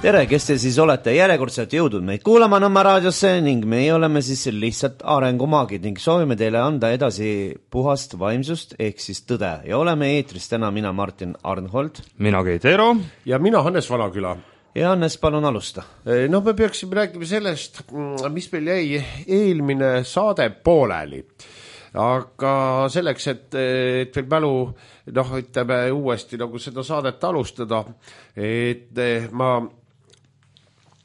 Tere, kes te siis olete järjekordselt jõudnud meid kuulama Nõmme raadiosse ning meie oleme siis lihtsalt arengumaagid ning soovime teile anda edasi puhast vaimsust ehk siis tõde. Ja oleme eetris täna mina Martin Arnhold. Mina Keit Eero. Ja mina Hannes Vanaküla. Ja Hannes, palun alusta. No me peaksime rääkima sellest, mis meil jäi eelmine saade pooleli. Aga selleks, et veel mälu, ütleme uuesti nagu seda saadet alustada, et ma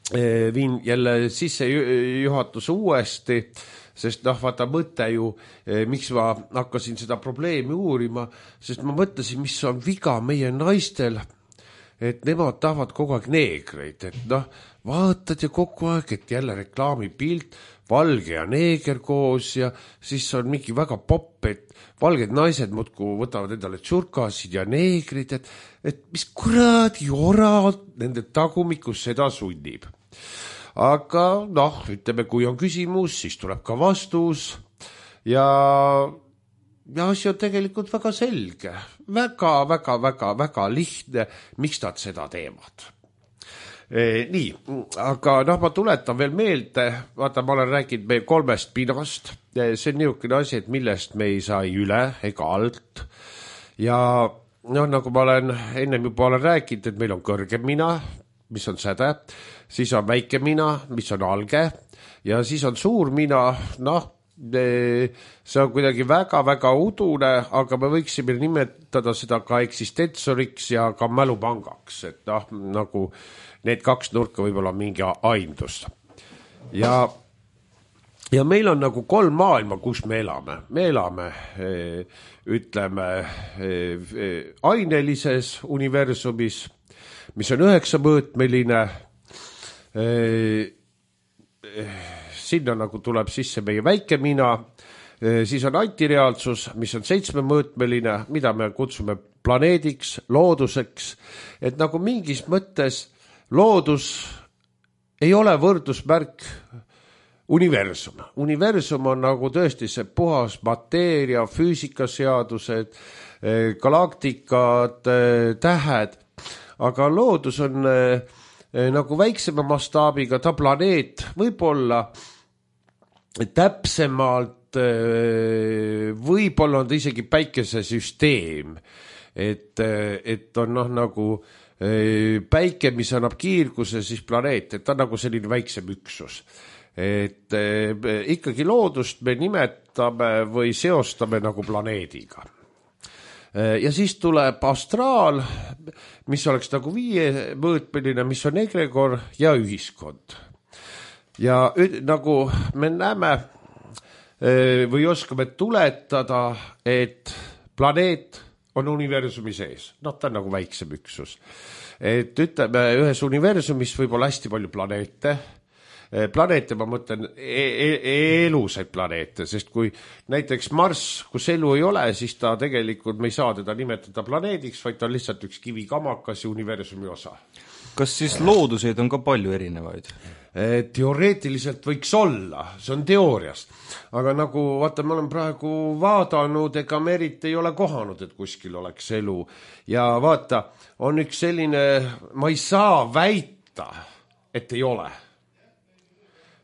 viin jälle sisse juhatuse uuesti, sest vaata mõte ju, miks ma hakkasin seda probleemi uurima, sest ma mõtlesin, mis on viga meie naistel, et nemad tahavad kogu aeg neegreid, et vaatad ja kogu aeg, et jälle reklaamipilt, valge ja neeger koos ja siis on mingi väga popp, et valged naised muudku võtavad endale tšurkasid ja neegrid, et mis kuradi ora nende tagumikus seda sunnib. Aga ütleme, kui on küsimus, siis tuleb ka vastus ja asi on tegelikult väga selge, väga lihtne, miks nad seda teevad. Nii, aga ma tuletan veel meelde, vaata, ma olen rääkinud meie 3 pinast, see on niisugune asi, et millest me ei saa üle ega alt ja nagu ma olen ennem juba rääkinud, et meil on kõrgem mina, mis on säde, siis on väike mina, mis on alge ja siis on suur mina, see on kuidagi väga udune, aga me võiksime nimetada seda ka eksistensoriks ja ka mälupangaks, et nagu need 2 nurka võib-olla mingi aimdus. Ja meil on nagu 3 maailma, kus me elame. Me elame, ütleme, ainelises universumis, mis on 9-mõõtmeline, sinna nagu tuleb sisse meie väike mina, siis on antireaalsus, mis on 7-mõõtmeline, mida me kutsume planeediks, looduseks, et nagu mingis mõttes loodus ei ole võrdusmärk universum. Universum on nagu tõesti see puhas mateeria, füüsikaseadused, galaktikad, tähed, aga loodus on nagu väiksema mastaabiga, ta planeet võib-olla täpsemalt, võib-olla on ta isegi päikesesüsteem, et on nagu päike, mis annab kiirguse, siis planeet, et ta on nagu selline väiksem üksus. Et ikkagi loodust me nimetame või seostame nagu planeediga. Ja siis tuleb astraal, mis oleks nagu 5-mõõtmeline, mis on egregor ja ühiskond. Ja nagu me näeme või oskame tuletada, et planeet on universumi sees. Ta on nagu väiksem üksus. Et ütleme, ühes universumis võib olla hästi palju planeete. Planeete, ma mõtlen, elusaid planeete, sest kui näiteks Marss, kus elu ei ole, siis ta tegelikult, me ei saa teda nimetada planeediks, vaid ta on lihtsalt üks kivikamakas ja universumi osa. Kas siis looduseid on ka palju erinevaid? Teoreetiliselt võiks olla, see on teooriast. Aga nagu, vaata, ma olen praegu vaadanud, ega me eriti ei ole kohanud, et kuskil oleks elu. Ja vaata, on üks selline, ma ei saa väita, et ei ole.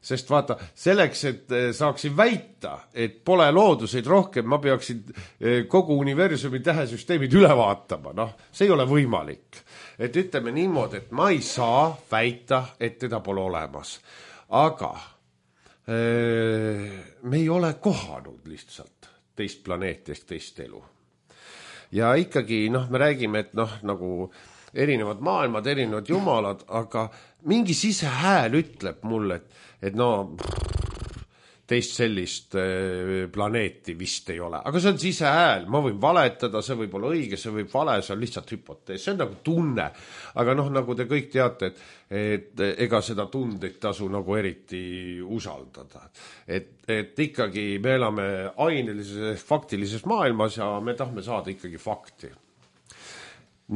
Sest vaata, selleks, et saaksin väita, et pole looduseid rohkem, ma peaksin kogu universumi tähesüsteemid üle vaatama. See ei ole võimalik. Et ütleme niimoodi, et ma ei saa väita, et teda pole olemas. Aga me ei ole kohanud lihtsalt teist planeetist, teist elu. Ja ikkagi, me räägime, et nagu erinevad maailmad, erinevad jumalad, aga mingi sisehääl ütleb mulle, et teist sellist planeeti vist ei ole. Aga see on sisehääl, ma võin valetada, see võib olla õige, see võib vale, see on lihtsalt hüpotees, see on nagu tunne. Aga nagu te kõik teate, et ega seda tundeid tasu nagu eriti usaldada. Et ikkagi me elame ainelises, faktilises maailmas ja me tahame saada ikkagi fakti.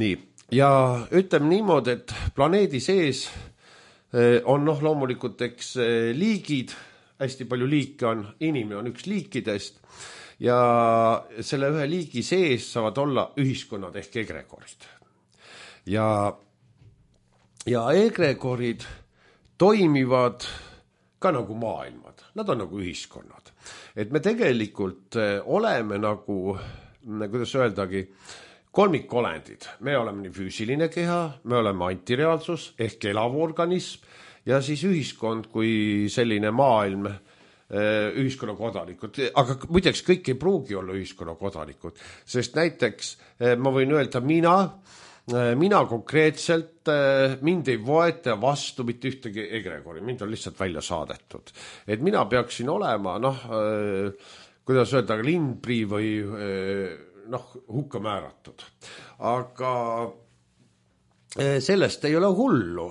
Nii, ja ütleme niimoodi, et planeedi sees on loomulikult eks liigid, hästi palju liike on, inimene on üks liikidest ja selle ühe liigi sees saavad olla ühiskonnad ehk egregorid. Ja ja egregorid toimivad ka nagu maailmad, nad on nagu ühiskonnad. Et me tegelikult oleme nagu, kuidas öeldagi, kolmikolendid. Me oleme nii füüsiline keha, me oleme antireaalsus ehk elav organism ja siis ühiskond kui selline maailm, ühiskonna kodanikud. Aga muideks kõik ei pruugi olla ühiskonna kodanikud, sest näiteks ma võin öelda mina konkreetselt, mind ei võeta vastu mitte ühtegi egregori, mind on lihtsalt välja saadetud. Et mina peaksin olema, kuidas öelda, lindprii või hukka määratud. Aga sellest ei ole hullu,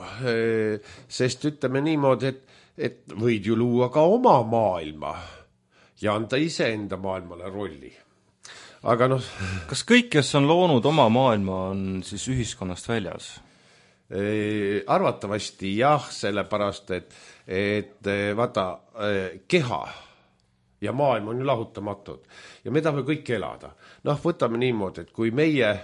sest ütleme niimoodi, et võid ju luua ka oma maailma ja anda iseenda maailmale rolli. Aga kas kõik, kes on loonud oma maailma, on siis ühiskonnast väljas? Arvatavasti jah, sellepärast, et vaata, keha ja maailm on ju lahutamatud ja me tahame kõik elada. Võtame niimoodi, et kui meie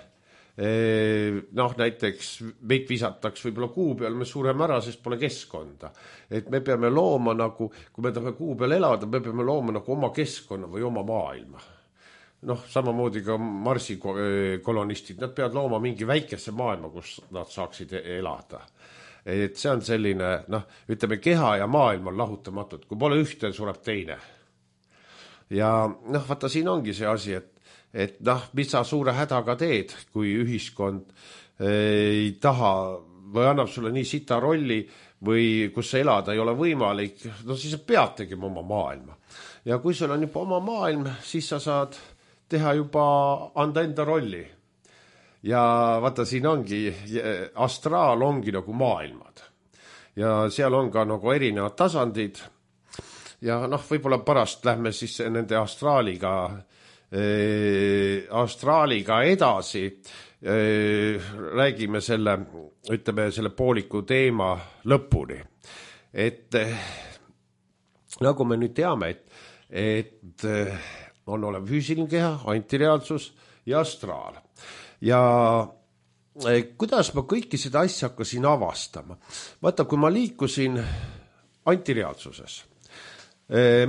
näiteks meid visataks võib-olla kuu peal, me sureme ära, sest pole keskkonda. Et me peame looma nagu, kui me tahame kuu peal elada, me peame looma nagu oma keskkonna või oma maailma. Samamoodi ka Marsi kolonistid, nad peavad looma mingi väikese maailma, kus nad saaksid elada. Et see on selline, ütleme, keha ja maailm on lahutamatud. Kui pole ühte, sureb teine. Ja vaata, siin ongi see asi, et mis sa suure hädaga teed, kui ühiskond ei taha või annab sulle nii sita rolli või kus sa elada ei ole võimalik, siis sa pead tegema oma maailma. Ja kui sul on juba oma maailm, siis sa saad teha juba, anda enda rolli. Ja vaata, siin ongi, astraal ongi nagu maailmad. Ja seal on ka nagu erinevad tasandid. Ja võib-olla pärast lähme siis nende astraaliga edasi. Räägime selle pooliku teema lõpuni. Et nagu me nüüd teame, et on olev füüsiline keha, antireaalsus ja astraal. Ja kuidas ma kõiki seda asja hakkasin avastama? Vaata, kui ma liikusin antireaalsuses,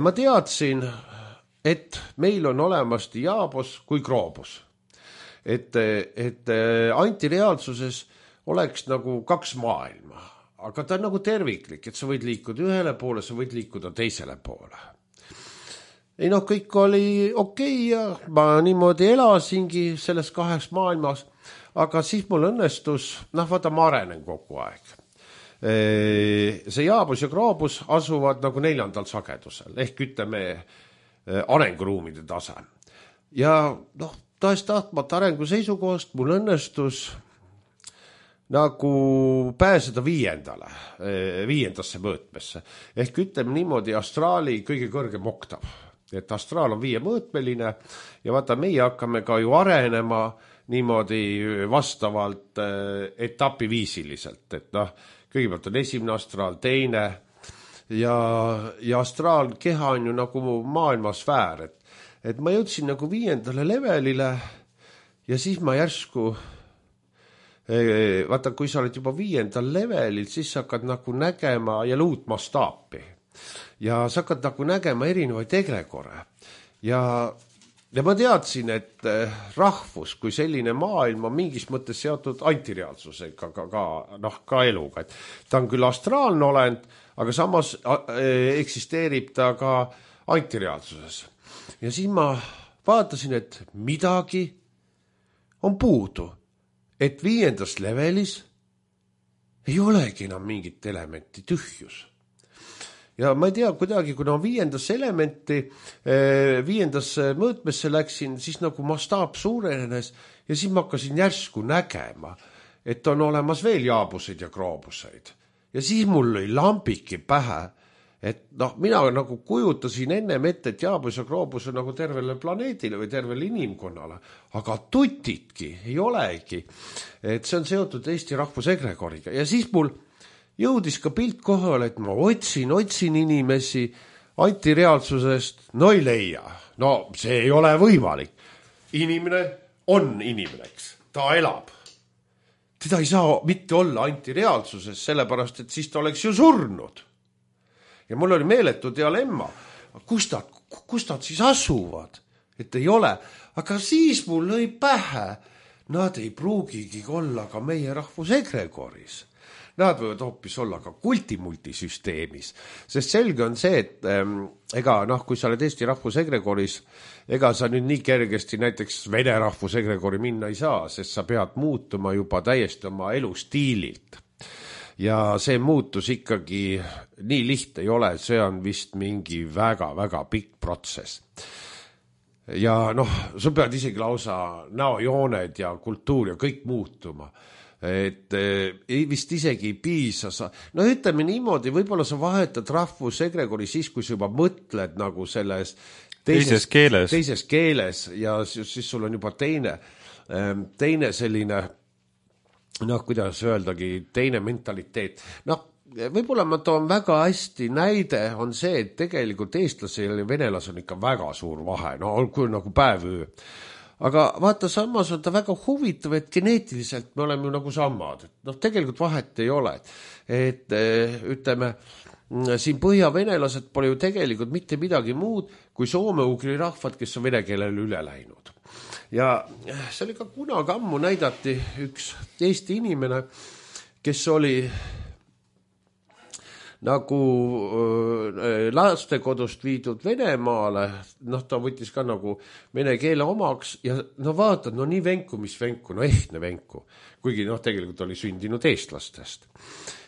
ma teadsin, et meil on olemas diabos kui kroobus. Et antireaalsuses oleks nagu kaks maailma, aga ta on nagu terviklik, et sa võid liikuda ühele poole, sa võid liikuda teisele poole. Kõik oli okei ja ma niimoodi elasingi selles kaheks maailmas, aga siis mul õnnestus, vaata, ma arenen kogu aeg. See jaabus ja kroobus asuvad nagu 4. sagedusel, ehk ütleme arenguruumide tase. Ja tahtmata arengu seisukohast mul õnnestus nagu pääseda 5. mõõtmesse. Ehk ütleme niimoodi astraali kõige kõrgem oktav. Et astraal on 5-mõõtmeline ja vaata, meie hakkame ka ju arenema niimoodi vastavalt etapiviisiliselt. Et kõigepealt on 1. astraal, 2. ja astraalkeha on ju nagu maailmasfäär. Et ma jõudsin nagu 5. levelile ja siis ma järsku, vaata, kui sa oled juba 5. levelil, siis sa hakkad nagu nägema ja uut mastaapi. Ja sa hakkad nagu nägema erinevaid egregore. Ja ma teadsin, et rahvus kui selline maailm on mingis mõttes seotud antireaalsusega, ka eluga. Et ta on küll astraalne olend, aga samas eksisteerib ta ka antireaalsuses. Ja siis ma vaatasin, et midagi on puudu. Et 5. levelis ei olegi enam mingit elementi, tühjus. Ja ma ei tea, kuidagi, kui 5. elementi, 5. mõõtmesse läksin, siis nagu mastaap suurenes ja siis ma hakkasin järsku nägema, et on olemas veel jaabuseid ja kroobuseid. Ja siis mul lõi lambiki pähe, et mina nagu kujutasin ennem ette, et jaabus ja kroobus on nagu tervele planeedile või tervele inimkonnale, aga tutitki ei olegi. Et see on seotud Eesti rahvusegregoriga ja siis mul jõudis ka pilt kohale, et ma otsin inimesi antireaalsusest, ei leia. See ei ole võimalik. Inimene on inimene, eks. Ta elab. teda ei saa mitte olla antireaalsuses, sellepärast, et siis ta oleks ju surnud. Ja mul oli meeletu dialemma, kus nad siis asuvad, et ei ole. Aga siis mul lõi pähe, nad ei pruugigi olla ka meie rahvusegregoris. Nad võivad hoopis olla ka kultimultisüsteemis, sest selge on see, et kui sa oled Eesti rahvusegregoris, ega sa nüüd nii kergesti näiteks Vene rahvusegregori minna ei saa, sest sa pead muutuma juba täiesti oma elustiililt. Ja see muutus ikkagi nii lihtne ei ole, see on vist mingi väga-väga pikk protsess. Ja sa pead isegi lausa näojooned ja kultuur ja kõik muutuma. Et vist isegi ei piisa ütleme niimoodi, võib-olla sa vahetad rahvusegregori siis, kui sa juba mõtled nagu selles teises keeles ja siis sul on juba teine selline kuidas öeldagi, teine mentaliteet. Võib-olla ma toon väga hästi näide on see, et tegelikult eestlasel ja venelas on ikka väga suur vahe, kui nagu päevöö. Aga vaata, samas on ta väga huvitav, et geneetiliselt me oleme ju nagu samad. Tegelikult vahet ei ole. Et ütleme, siin põhjavenelased pole ju tegelikult mitte midagi muud kui soome-ugri rahvad, kes on vene keelele üle läinud. Ja see oli ka kunagi ammu näidati üks Eesti inimene, kes oli nagu lastekodust viidud Venemaale, ta võttis ka nagu vene keele omaks ja vaatad, nii venku, mis venku, ehtne venku, kuigi tegelikult oli sündinud eestlastest.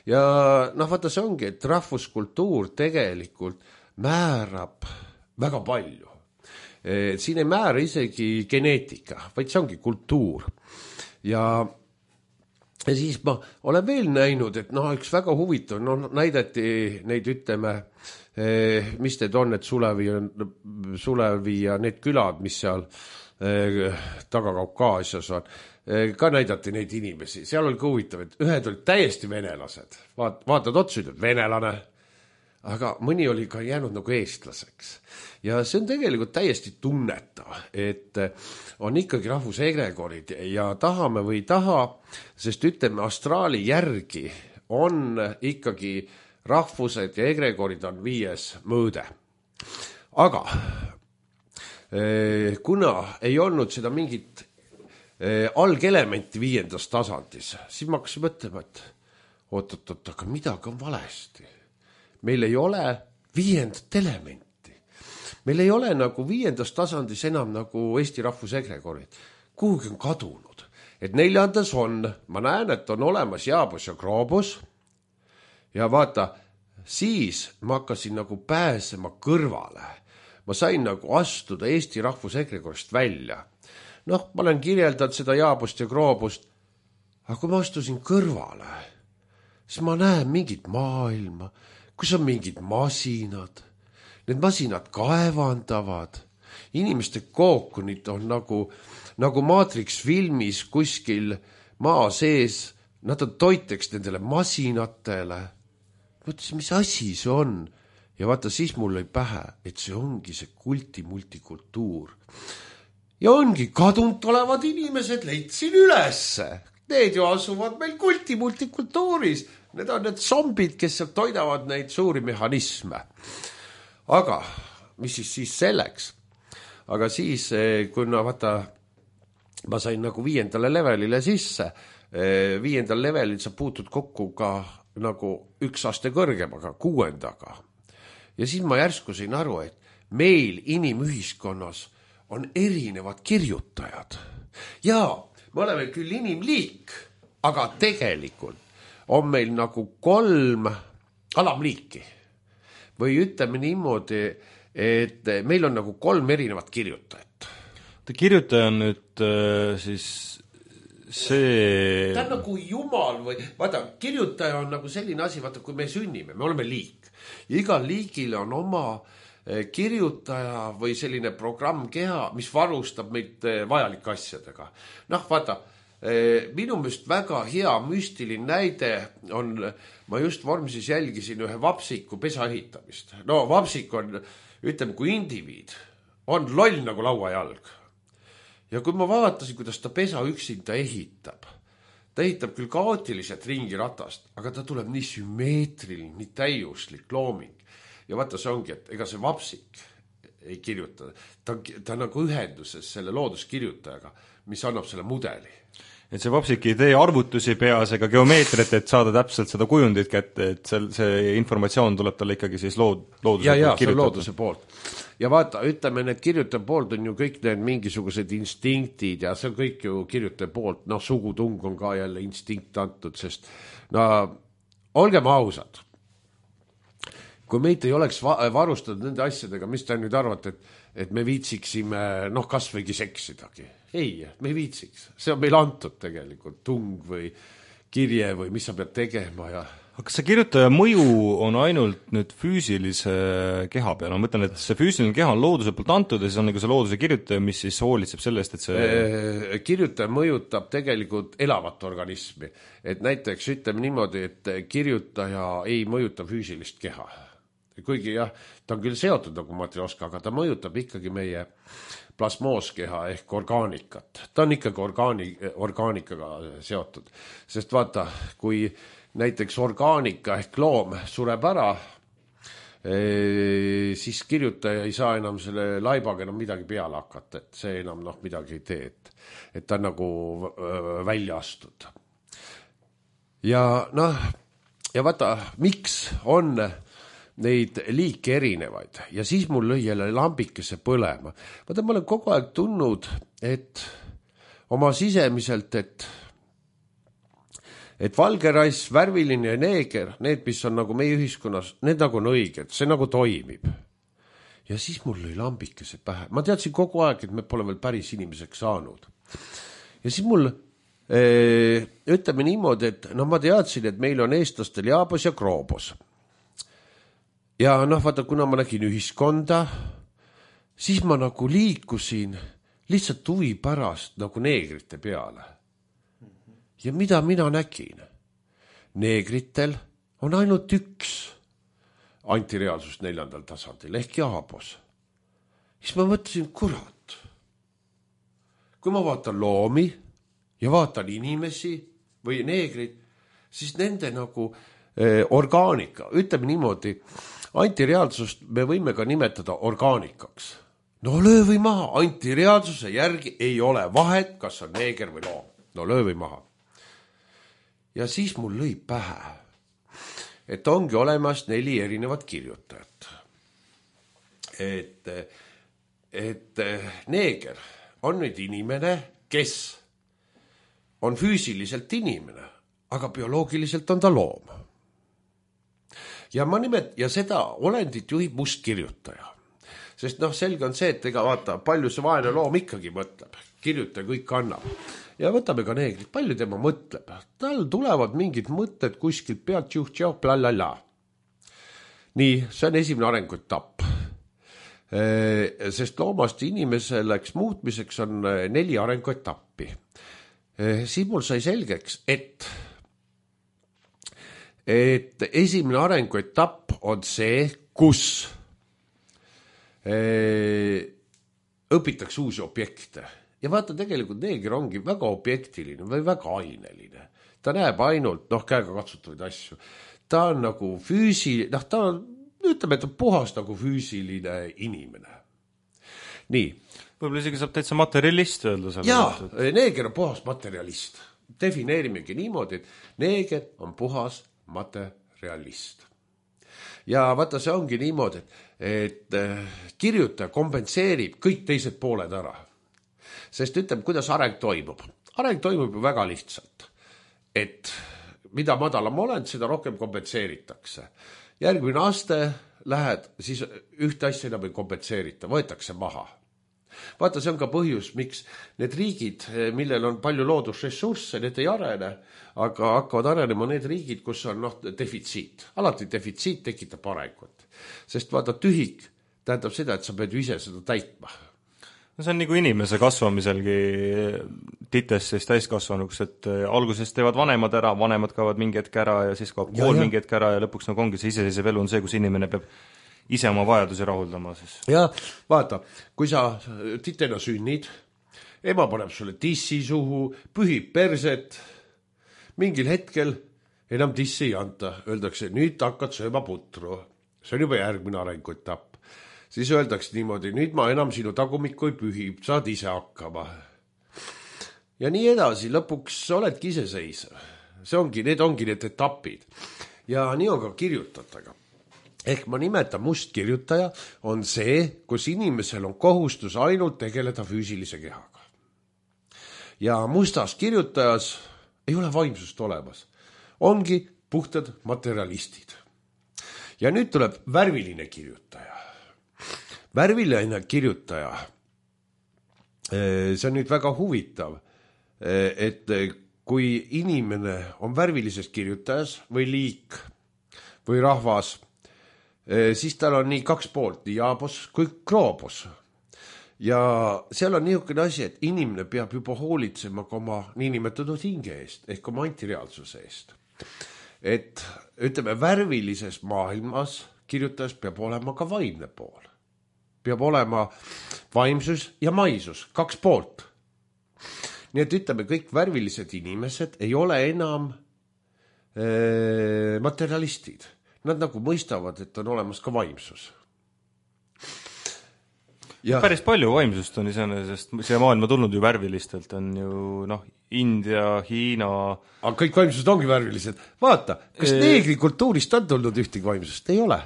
Ja vaata, see ongi, et rahvuskultuur tegelikult määrab väga palju. Siin ei määra isegi geneetika, vaid see ongi kultuur. Ja siis ma olen veel näinud, et üks väga huvitav, näidati neid, ütleme, mis need on, et Sulevi ja need külad, mis seal Taga-Kaukaasias on, ka näidati neid inimesi. Seal oli ka huvitav, et ühed olid täiesti venelased. Vaatad otsa, ütled venelane, aga mõni oli ka jäänud nagu eestlaseks. Ja see on tegelikult täiesti tunnetav, et on ikkagi rahvusegregorid ja tahame või ei taha, sest ütleme, astraali järgi on ikkagi rahvused ja egregorid on 5. mõõde. Aga kuna ei olnud seda mingit algelementi 5. tasandis, siis ma hakkasin mõtlema, et oot, aga midagi on valesti. Meil ei ole 5. elementi. Meil ei ole nagu 5. tasandis enam nagu Eesti rahvusegregorid. Kuhugi on kadunud. Et 4. on, ma näen, et on olemas Jaabus ja Kroobus. Ja vaata, siis ma hakkasin nagu pääsema kõrvale. Ma sain nagu astuda Eesti rahvusegregorist välja. Ma olen kirjeldanud seda Jaabust ja Kroobust. Aga kui ma astusin kõrvale, siis ma näen mingit maailma, kus on mingid masinad. Need masinad kaevandavad. Inimeste kookunid on nagu Matrix filmis kuskil maa sees. Nad on toiteks nendele masinatele. Mõtlesin, mis asi see on? Ja vaata, siis mul lõi pähe, et see ongi see multikultuur. Ja ongi kadunud olevad inimesed, leidsin ülesse. Need ju asuvad meil multikultuuris. Need on need zombid, kes seal toidavad neid suuri mehhanisme. Aga mis siis selleks? Aga siis, kui vaata, ma sain nagu 5. levelile sisse, 5. levelil sa puutud kokku ka nagu 1 aste kõrgemaga, 6. Ja siis ma järsku sain aru, et meil inimühiskonnas on erinevad kirjutajad. Ja me oleme küll inimliik, aga tegelikult on meil nagu 3 alamliiki. Või ütleme niimoodi, et meil on nagu 3 erinevat kirjutajat. Kirjutaja on nüüd siis see... Ta on nagu jumal või... Vaata, kirjutaja on nagu selline asi, vaata, kui me sünnime, me oleme liik. Ja igal liigil on oma kirjutaja või selline programmkeha, mis varustab meid vajalike asjadega. Vaata, minu meelest väga hea müstiline näide on, ma just vormsis jälgisin ühe vapsiku pesa ehitamist. Vapsik on, ütleme, kui indiviid, on loll nagu lauajalg. Ja kui ma vaatasin, kuidas ta pesa üksinda ehitab, ta ehitab küll kaootiliselt ringiratast, aga ta tuleb nii sümmeetriline, nii täiuslik looming. Ja vaata, see ongi, et ega see vapsik ei kirjuta. Ta nagu ühenduses selle looduskirjutajaga, mis annab selle mudeli. Et see vapsik ei tee arvutusi peas ega geomeetrit, et saada täpselt seda kujundit kätte, et see informatsioon tuleb talle ikkagi siis looduse ja, see on looduse poolt. Ja vaata, ütleme, need kirjutaja poolt on ju kõik need mingisugused instinktid ja see on kõik ju kirjutaja poolt, sugutung on ka jälle instinkt antud, sest olgem ausad, kui meid ei oleks varustatud nende asjadega, mis te nüüd arvate, et me viitsiksime kas võigi seksidagi. Ei, me ei viitsiks. See on meil antud tegelikult, tung või kirje või mis sa pead tegema. Ja... Kas see kirjutaja mõju on ainult nüüd füüsilise keha peal? Ma mõtlen, et see füüsiline keha on looduse poolt antud ja siis on nagu see looduse kirjutaja, mis siis hoolitseb sellest, et see... Kirjutaja mõjutab tegelikult elavat organismi. Et näiteks ütleme niimoodi, et kirjutaja ei mõjuta füüsilist keha. Kuigi jah, ta on küll seotud nagu matrioska, aga ta mõjutab ikkagi meie plasmooskeha ehk orgaanikat. Ta on ikkagi orgaanikaga seotud. Sest vaata, kui näiteks orgaanika ehk loom sureb ära, siis kirjutaja ei saa enam selle laibaga enam midagi peale hakata, et see enam midagi ei tee, et ta on nagu välja astud. Ja vaata, miks on neid liike erinevaid ja siis mul lõi jälle lambikese põlema. Vaata, ma olen kogu aeg tundnud, et oma sisemiselt, et valgerass, värviline ja neeger, need, mis on nagu meie ühiskonnas, need nagu on õiged, see nagu toimib. Ja siis mul lõi lambikese pähe. Ma teadsin kogu aeg, et me pole veel päris inimeseks saanud. Ja siis mul, ütleme niimoodi, et ma teadsin, et meil on eestlastel jaabos ja kroobos. Ja vaata, kuna ma nägin ühiskonda, siis ma nagu liikusin lihtsalt huvi pärast nagu neegrite peale. Ja mida mina nägin? Neegritel on ainult üks antireaalsus 4. tasandil ehk jaabos. Siis ma mõtlesin, kurat, kui ma vaatan loomi ja vaatan inimesi või neegrid, siis nende nagu orgaanika, ütleme niimoodi, antireaalsust me võime ka nimetada orgaanikaks. Löö või maha, antireaalsuse järgi ei ole vahet, kas on neeger või loom. Löö või maha. Ja siis mul lõi pähe, et ongi olemas 4 erinevat kirjutajat. Et neeger on nüüd inimene, kes on füüsiliselt inimene, aga bioloogiliselt on ta loom. Ja ja seda olendit juhib mustkirjutaja. Sest selge on see, et ega vaata, palju see vaene loom ikkagi mõtleb. Kirjutaja kõik annab. Ja võtame ka neegrit, palju tema mõtleb. Tal tulevad mingid mõtted kuskilt pealt, juht, blalala. Nii, see on esimene arenguetapp. Sest loomast inimeseks muutmiseks on 4 arenguetappi. Siis mul sai selgeks, et esimene arenguetapp on see, kus õpitakse uusi objekte. Ja vaata, tegelikult neeger ongi väga objektiline või väga aineline. Ta näeb ainult käega katsutavaid asju. Ta on nagu füüsiline, ta on, ütleme, et on puhas nagu füüsiline inimene. Nii. Võib-olla isegi saab täitsa materialist öelda. Jaa, neeger on puhas materialist. Defineerimegi niimoodi, et neeger on puhas materialist. Ja vaata, see ongi niimoodi, et kirjutaja kompenseerib kõik teised pooled ära. Sest ütleme, kuidas areng toimub. Areng toimub ju väga lihtsalt. Et mida madalam oled, seda rohkem kompenseeritakse. Järgmine aste lähed, siis ühte asja enam ei kompenseerita, võetakse maha. Vaata, see on ka põhjus, miks need riigid, millel on palju loodusressursse, need ei arene, aga hakkavad arenema need riigid, kus on defitsiit. Alati defitsiit tekitab arengut. Sest vaata, tühik tähendab seda, et sa pead ju ise seda täitma. No see on nagu inimese kasvamiselgi titest siis täiskasvanuks, et alguses teevad vanemad ära, vanemad kaovad mingi hetk ära ja siis kaob kool mingi hetk ära ja lõpuks nagu ongi see iseseisev elu on see, kus inimene peab ise oma vajadusi rahuldama. Siis. Ja vaata, kui sa titena sünnid, ema paneb sulle tissi suhu, pühib perset mingil hetkel enam tissi ei anta, öeldakse, nüüd hakkad sööma putru, see on juba järgmine arenguetapp. Siis öeldakse niimoodi, nüüd ma enam sinu tagumikku ei pühi, saad ise hakkama. Ja nii edasi, lõpuks oledki iseseisev. Need ongi need etapid. Ja nii on ka kirjutajatega. Ehk ma nimetan mustkirjutaja on see, kus inimesel on kohustus ainult tegeleda füüsilise kehaga. Ja mustas kirjutajas ei ole vaimsust olemas. Ongi puhtad materialistid. Ja nüüd tuleb värviline kirjutaja. Värviline kirjutaja, see on nüüd väga huvitav, et kui inimene on värvilises kirjutajas või liik või rahvas, siis tal on nii kaks poolt, nii jaabos kui kroobos. Ja seal on niisugune asi, et inimene peab juba hoolitsema ka oma niinimetatud hinge eest, ehk oma antireaalsuse eest. Et ütleme, värvilises maailmas kirjutajas peab olema ka vaimne pool. Peab olema vaimsus ja maisus, kaks poolt. Nii et ütleme, kõik värvilised inimesed ei ole enam materialistid. Nad nagu mõistavad, et on olemas ka vaimsus. Ja päris palju vaimsust on iseenesest, siia maailma tulnud ju värvilistelt, on ju India, Hiina. Aga kõik vaimsused ongi värvilised. Vaata, kas neegri kultuurist on tulnud ühtegi vaimsust? Ei ole.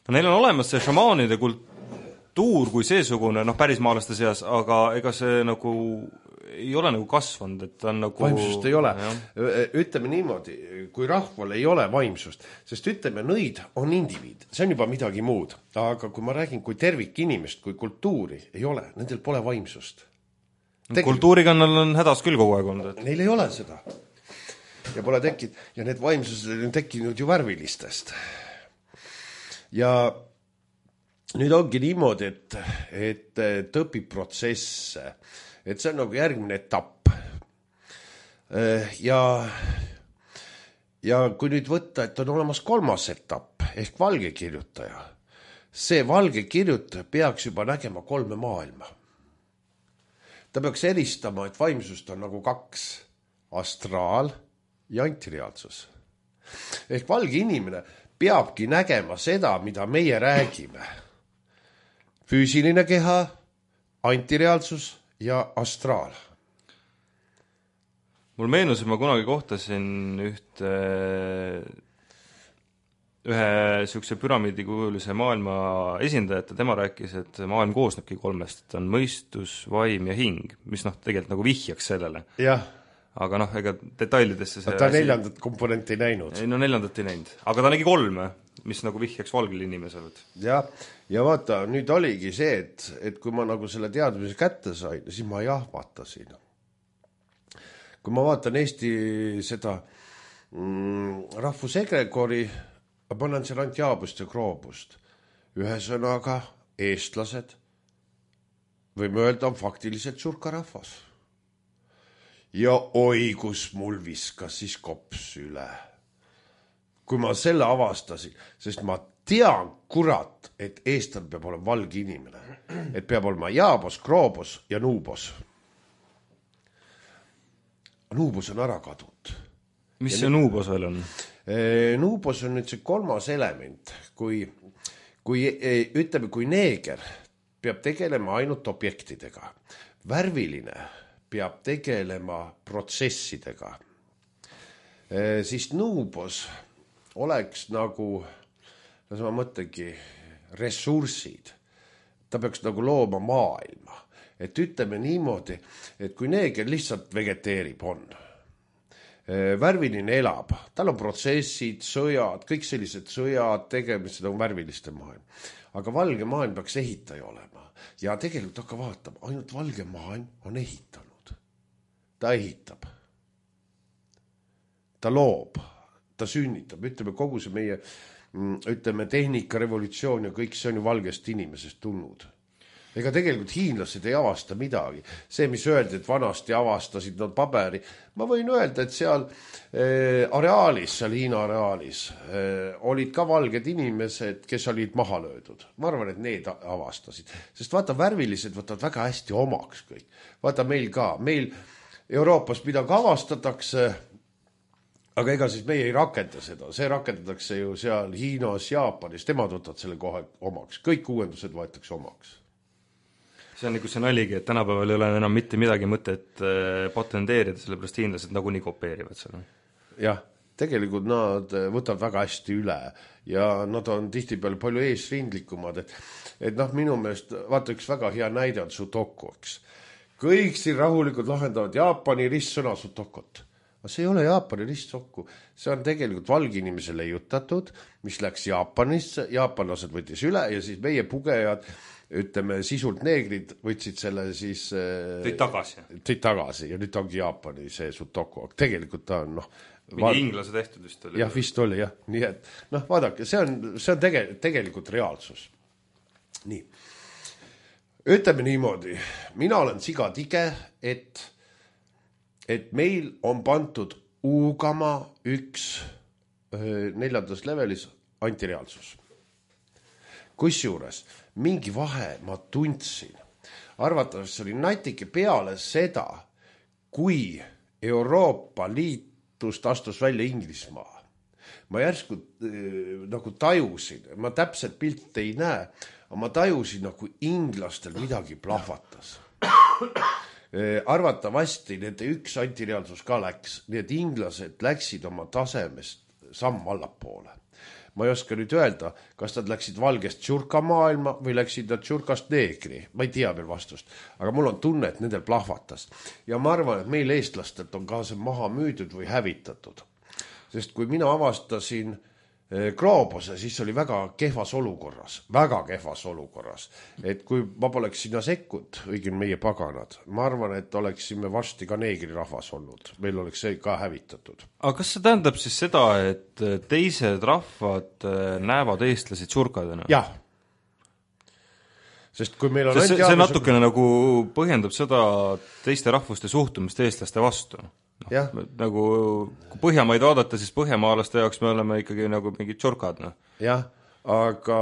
No neil on olemas see šamaanide kultuur kui seesugune, päris maalaste seas, aga ega see nagu ei ole nagu kasvanud, et on nagu... Vaimsust ei ole. Ütleme niimoodi, kui rahval ei ole vaimsust, sest ütleme, nõid on indiviid, see on juba midagi muud. Aga kui ma räägin kui tervik inimest, kui kultuuri ei ole, nendel pole vaimsust. Kultuuriga on hädas küll kogu aeg olnud. Neil ei ole seda. Ja pole tekkinud. Ja need vaimsused on tekkinud ju värvilistest. Ja nüüd ongi niimoodi, et õpib protsesse. Et see on nagu järgmine etapp. Ja kui nüüd võtta, et on olemas kolmas etapp, ehk valge kirjutaja, see valge kirjutaja peaks juba nägema kolme maailma. Ta peaks eristama, et vaimsust on nagu kaks, astraal ja antireaalsus. Ehk valge inimene peabki nägema seda, mida meie räägime. Füüsiline keha, antireaalsus ja astraal. Mul meenus, et ma kunagi kohtasin ühe sükse püramiidikujulise maailma esindajat ja tema rääkis, et maailm koosnebki kolmest, et on mõistus, vaim ja hing, mis tegelikult nagu vihjaks sellele. Jah. Aga ega detailidesse see... Ta neljandat komponenti ei näinud. Neljandat ei näinud. Aga ta nägi kolme, mis nagu vihjaks valgele inimesele. Ja vaata, nüüd oligi see, et kui ma nagu selle teadmise kätte sain, siis ma jahvatasin. Kui ma vaatan Eesti seda rahvusegregori, ma panen seal ainult jaabust ja kroobust. Ühesõnaga, eestlased, võime öelda, on faktiliselt surka rahvas. Ja oi, kus mul viskas siis kops üle. Kui ma selle avastasin, sest ma tean, kurat, et eestal peab olema valge inimene. Et peab olema jaabos, kroobos ja nuubos. Nuubos on ära kadunud. Mis see nuubos veel on? Nuubos on nüüd see kolmas element. Ütleme, kui neeger peab tegelema ainult objektidega. Värviline peab tegelema protsessidega. Siis nuubos oleks nagu, ma mõtlengi, ressursid. Ta peaks nagu looma maailma. Et ütleme niimoodi, et kui neeger lihtsalt vegeteerib on, värviline elab, tal on protsessid, sõjad, kõik sellised sõjad, tegemised on värviliste maailm. Aga valge maailm peaks ehitaja olema. Ja tegelikult hakka vaatama, ainult valge maailm on ehitanud. Ta ehitab. Ta loob. Ta sünnitab. Ütleme, kogu see meie tehnika, revolutsioon ja kõik see on ju valgest inimesest tulnud. Ega tegelikult hiinlased ei avasta midagi. See, mis öeldi, et vanasti avastasid nad paberi. Ma võin öelda, et seal areaalis, seal Hiina areaalis olid ka valged inimesed, kes olid maha löödud. Ma arvan, et need avastasid. Sest vaata, värvilised võtavad väga hästi omaks kõik. Vaata meil ka. Meil Euroopas midagi avastatakse, aga ega siis meie ei rakenda seda, see rakendatakse ju seal Hiinas, Jaapanis, temad võtavad selle kohe omaks, kõik uuendused võetakse omaks. See on nagu see naligi, et tänapäeval ei ole enam mitte midagi mõtet patenteerida, sellepärast hiinlased nagunii kopeerivad selle. Jah, tegelikult nad võtavad väga hästi üle ja nad on tihtipeale palju eesrindlikumad, et noh, minu meelest, vaata üks väga hea näide on Sudoku, eks. Kõik siin rahulikult lahendavad Jaapani ristsõna Sudokut. Aga see ei ole Jaapani ristsokku, see on tegelikult valginimese leiutatud, mis läks Jaapanisse, jaapanlased võttis üle ja siis meie pugejad, ütleme, sisult neegrid võtsid selle siis tõid tagasi ja nüüd ongi Jaapani see Sudoku, aga tegelikult ta on mingi inglase tehtud vist oli. Jah, vist oli jah, nii et vaadake, see on tegelikult reaalsus. Nii, ütleme niimoodi, mina olen sigatige, et meil on pantud uugama üks 4. levelis antireaalsus. Kusjuures mingi vahe ma tundsin. Arvatavasti oli natike peale seda, kui Euroopa Liitust astus välja Inglismaa. Ma järsku nagu tajusin, ma täpselt pilt ei näe, aga ma tajusin, nagu inglastel midagi plahvatas. Arvatavasti nende üks antireaalsus ka läks, nii et inglased läksid oma tasemest samm allapoole. Ma ei oska nüüd öelda, kas nad läksid valgest tšurka maailma või läksid nad tšurkast neegri. Ma ei tea veel vastust, aga mul on tunne, et nendel plahvatas. Ja ma arvan, et meil eestlastelt on ka see maha müüdud või hävitatud. Sest kui mina avastasin Gloobuse, siis oli väga kehvas olukorras. Et kui ma poleks sinna sekkud, õigin meie paganad, ma arvan, et oleksime varsti ka neegri rahvas olnud. Meil oleks see ka hävitatud. Aga kas see tähendab siis seda, et teised rahvad näevad eestlased tšurkadena? Jah. Sest kui meil on see natukene nagu põhjendab seda teiste rahvuste suhtumist eestlaste vastu. Nagu kui Põhjamaid vaadata, siis põhjamaalaste jaoks me oleme ikkagi nagu mingid tšurkad. Jah, aga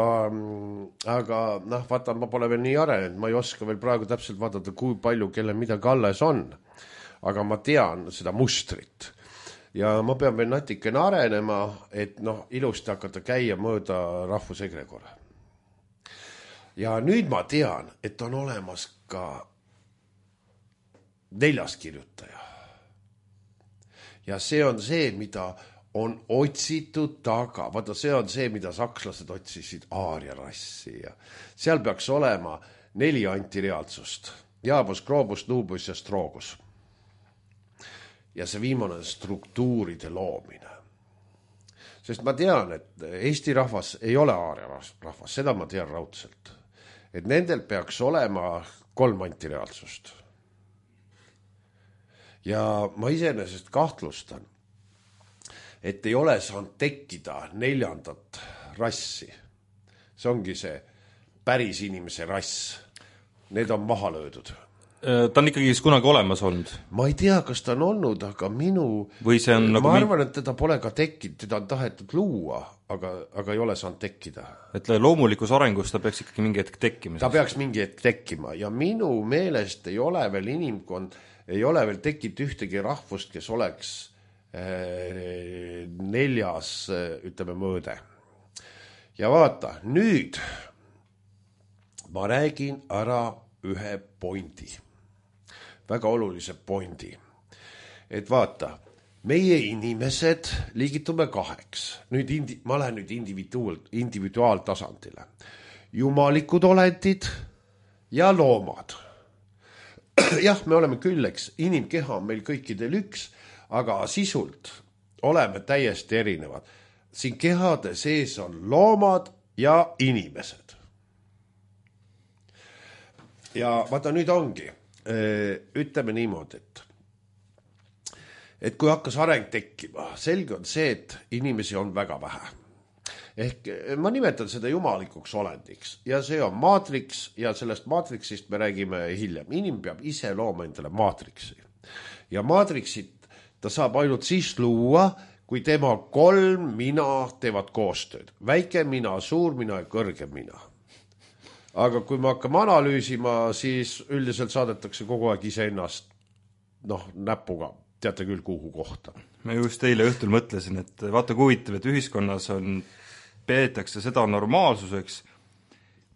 vaata, ma pole veel nii arenenud, ma ei oska veel praegu täpselt vaadata, kui palju kelle midagi alles on. Aga ma tean seda mustrit. Ja ma pean veel natikene arenema, et ilusti hakata käia mööda rahvusegregore. Ja nüüd ma tean, et on olemas ka 4. kirjutaja. Ja see on see, mida on otsitud taga. Vaata, see on see, mida sakslased otsisid aaria rassi. Ja seal peaks olema 4 antireaalsust. Jaabus, Gloobus, Nuubus ja Stroogus. Ja see viimane struktuuride loomine. Sest ma tean, et Eesti rahvas ei ole aaria rahvas. Seda ma tean raudselt. Et nendel peaks olema 3 antireaalsust. Ja ma iseenesest kahtlustan, et ei ole saanud tekkida 4. rassi. See ongi see päris inimese rass. Need on maha löödud. Ta on ikkagi kunagi olemas olnud? Ma ei tea, kas ta on olnud, aga ma arvan, et teda pole ka tekkinud, teda on tahetud luua, aga ei ole saanud tekkida. Et loomulikus arengus ta peaks ikkagi mingi hetk tekkima? Ta peaks mingi hetk tekkima ja minu meelest ei ole veel inimkond, ei ole veel tekkinud ühtegi rahvust, kes oleks 4. ütleme mõõde. Ja vaata, nüüd ma räägin ära ühe pointi. Väga olulise pointi. Et vaata, meie inimesed liigitume 2. Ma lähen nüüd individuaaltasandile. Jumalikud olendid ja loomad. Jah, me oleme külleks, inimkeha on meil kõikidel üks, aga sisult oleme täiesti erinevad. Siin kehade sees on loomad ja inimesed. Ja vaata, nüüd ongi, ütleme niimoodi, et kui hakkas areng tekkima, selge on see, et inimesi on väga vähe. Ehk ma nimetan seda jumalikuks olendiks ja see on maatriks ja sellest maatriksist me räägime hiljem. Inim peab ise looma endale maatriksi ja maatriksit ta saab ainult siis luua, kui tema 3 mina teevad koostööd. Väike mina, suur mina ja kõrge mina. Aga kui me hakkame analüüsima, siis üldiselt saadetakse kogu aeg iseennast noh, näpuga teate küll kuhu kohta. ma just eile õhtul mõtlesin, et vaata kui huvitav, et ühiskonnas peetakse seda normaalsuseks,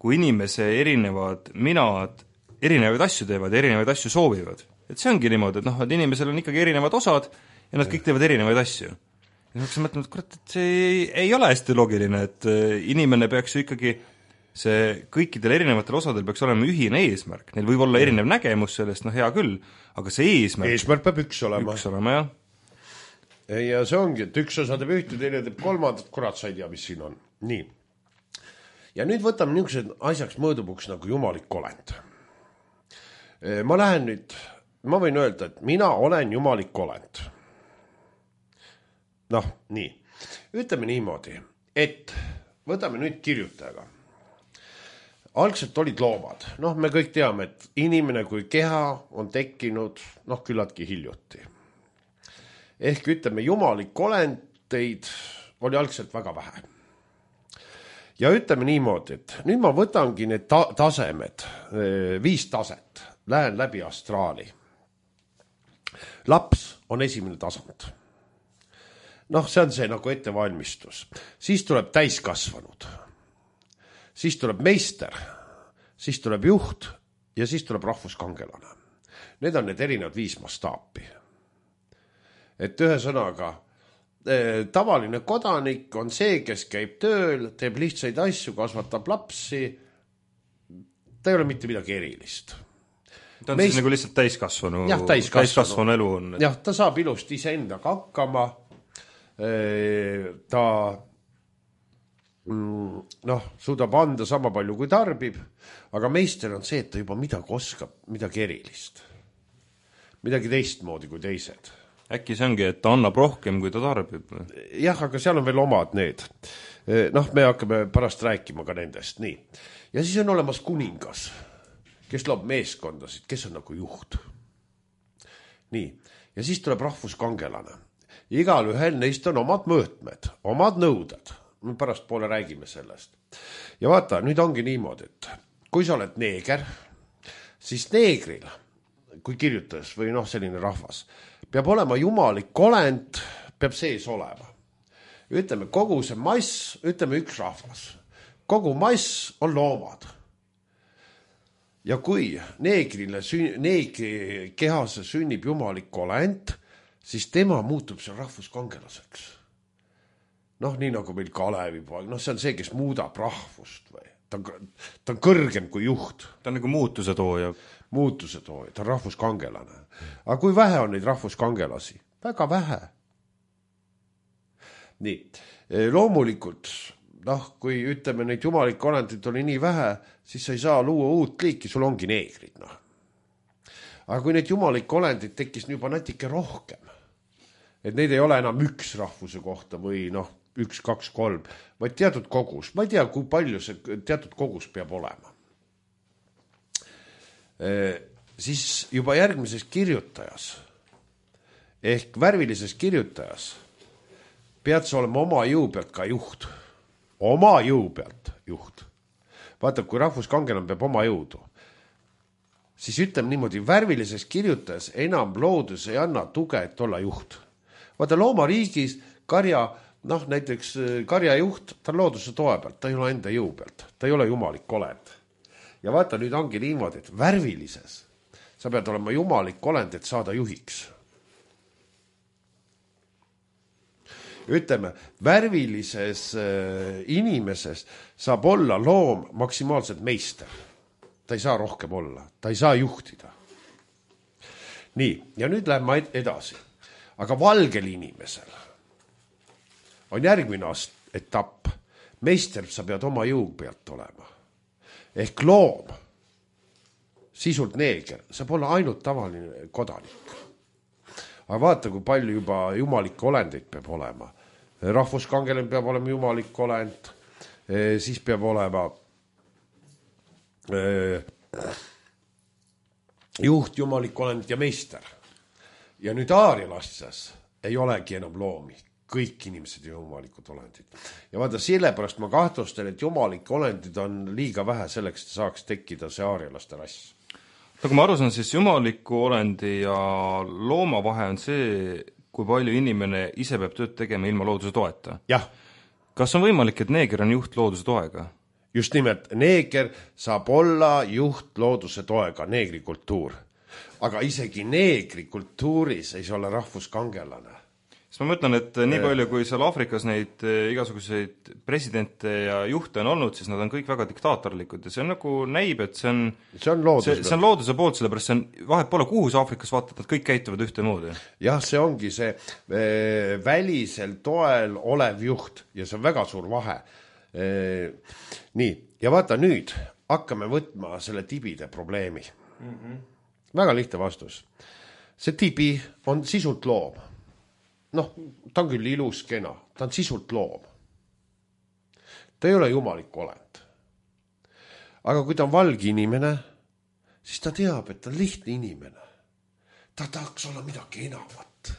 kui inimese erinevad minad erinevaid asju teevad ja erinevaid asju soovivad. Et see ongi niimoodi, et noh, et inimesel on ikkagi erinevad osad ja nad kõik teevad erinevaid asju. Ja ma mõtlen, et kurat, et see ei ole hästi loogiline, et inimene peaks ju ikkagi see kõikidel erinevatel osadel peaks olema ühine eesmärk. Neil võib olla erinev nägemus sellest, noh hea küll, aga see eesmärk peab üks olema, jah. Ja see ongi, et üks osa teeb ühte, teine teeb kolmandat, kurat sa ei tea, mis siin on. Nii. Ja nüüd võtame niisugused asjaks mõõdupuks nagu jumalik olend. Ma võin öelda, et mina olen jumalik olend. Noh, nii. Ütleme niimoodi, et võtame nüüd kirjutajaga. Algselt olid loomad. Noh, me kõik teame, et inimene kui keha on tekkinud, noh, küllaltki hiljuti. Ehk ütleme, jumalik olendeid oli algselt väga vähe. Ja ütleme niimoodi, et nüüd ma võtangi need tasemed, 5 taset, lähen läbi astraali. Laps on esimene tasand. Noh, see on see nagu ettevalmistus. Siis tuleb täiskasvanud. Siis tuleb meister. Siis tuleb juht ja siis tuleb rahvuskangelane. Need on need erinevad 5 mastaapi. Et ühe sõnaga, tavaline kodanik on see, kes käib tööl, teeb lihtsaid asju, kasvatab lapsi. Ta ei ole mitte midagi erilist. Ta on siis nagu lihtsalt täiskasvanu elu on. Jah, ta saab ilusti iseendaga hakkama. Ta suudab anda sama palju kui tarbib, aga meister on see, et ta juba midagi oskab, midagi erilist. Midagi teistmoodi kui teised. Äkki see ongi, et ta annab rohkem, kui ta tarbib? Jah, aga seal on veel omad need. Noh, me hakkame pärast rääkima ka nendest. Nii. Ja siis on olemas kuningas, kes loob meeskondasid, kes on nagu juht. Nii. Ja siis tuleb rahvuskangelane. Igal ühel neist on omad mõõtmed, omad nõuded. Me pärast poole räägime sellest. Ja vaata, nüüd ongi niimoodi, et kui sa oled neeger, siis neegril, kui kirjutas või noh, selline rahvas, peab olema jumalik olend, peab sees olema. Ütleme, kogu see mass, ütleme üks rahvas. Kogu mass on loomad. Ja kui neegri kehase sünnib jumalik olend, siis tema muutub seal rahvuskangelaseks. Noh, nii nagu meil Kalevipoeg, noh see on see, kes muudab rahvust või. Ta on kõrgem kui juht. Ta on nagu muutuse tooja. Muutuse tooja, ta on rahvuskangelane. Aga kui vähe on neid rahvuskangelasi? Väga vähe. Nii, loomulikult, noh, kui ütleme neid jumalik olendid oli nii vähe, siis sa ei saa luua uut liiki, sul ongi neegrid, noh. Aga kui neid jumalik olendid tekkis juba natuke rohkem, et neid ei ole enam üks rahvuse kohta või noh, 1, 2, 3, vaid teatud kogus. Ma ei tea, kui palju see teatud kogus peab olema. Siis juba järgmises kirjutajas ehk värvilises kirjutajas pead sa olema oma jõu pealt ka juht. Oma jõu pealt juht. Vaata, kui rahvuskangelane peab oma jõudu, siis ütleme niimoodi, värvilises kirjutajas enam loodus ei anna tuge, et olla juht. Vaata, loomariigis karja, noh näiteks karjajuht, ta on looduse toe pealt, ta ei ole enda jõu pealt, ta ei ole jumalik olend. Ja vaata, nüüd ongi niimoodi, et värvilises sa pead olema jumalik olend, et saada juhiks. Ütleme, värvilises inimeses saab olla loom maksimaalselt meister. Ta ei saa rohkem olla, ta ei saa juhtida. Nii, ja nüüd läheme edasi. Aga valgel inimesel on järgmine etapp. Meister sa pead oma jõu pealt olema. Ehk loom, sisult neeger, saab olla ainult tavaline kodanik. Aga vaata, kui palju juba jumalikke olendeid peab olema. Rahvuskangelane peab olema jumalik olend, siis peab olema juht, jumalik olend ja meister. Ja nüüd aarialastes ei olegi enam loomi. Kõik inimesed ja jumalikud olendid. Ja vaata, sellepärast ma kahtlustan, et jumalike olendid on liiga vähe selleks, et saaks tekkida see aarialaste rass. Nagu ma aru saan, siis jumaliku olendi ja looma vahe on see, kui palju inimene ise peab tööd tegema ilma looduse toeta. Jah. Kas on võimalik, et neeger on juht looduse toega? Just nimelt, neeger saab olla juht looduse toega, neegrikultuur. Aga isegi neegrikultuuris ei saa olla rahvuskangelane. Siis ma mõtlen, et nii palju, kui seal Aafrikas neid igasuguseid presidente ja juhte on olnud, siis nad on kõik väga diktaatorlikud ja see on nagu näib, et see on looduse poolt, sellepärast see on vahet pole, kuhu see Aafrikas vaatad, nad kõik käituvad ühte moodi. Jah, see ongi see välisel toel olev juht ja see on väga suur vahe. Nii, ja vaata nüüd, hakkame võtma selle tibide probleemi. Väga lihtne vastus. See tibi on sisult loom. Noh, ta on küll ilus kena, ta on sisult loom. Ta ei ole jumalik olend. Aga kui ta on valge inimene, siis ta teab, et ta on lihtne inimene. Ta tahaks olla midagi enamat.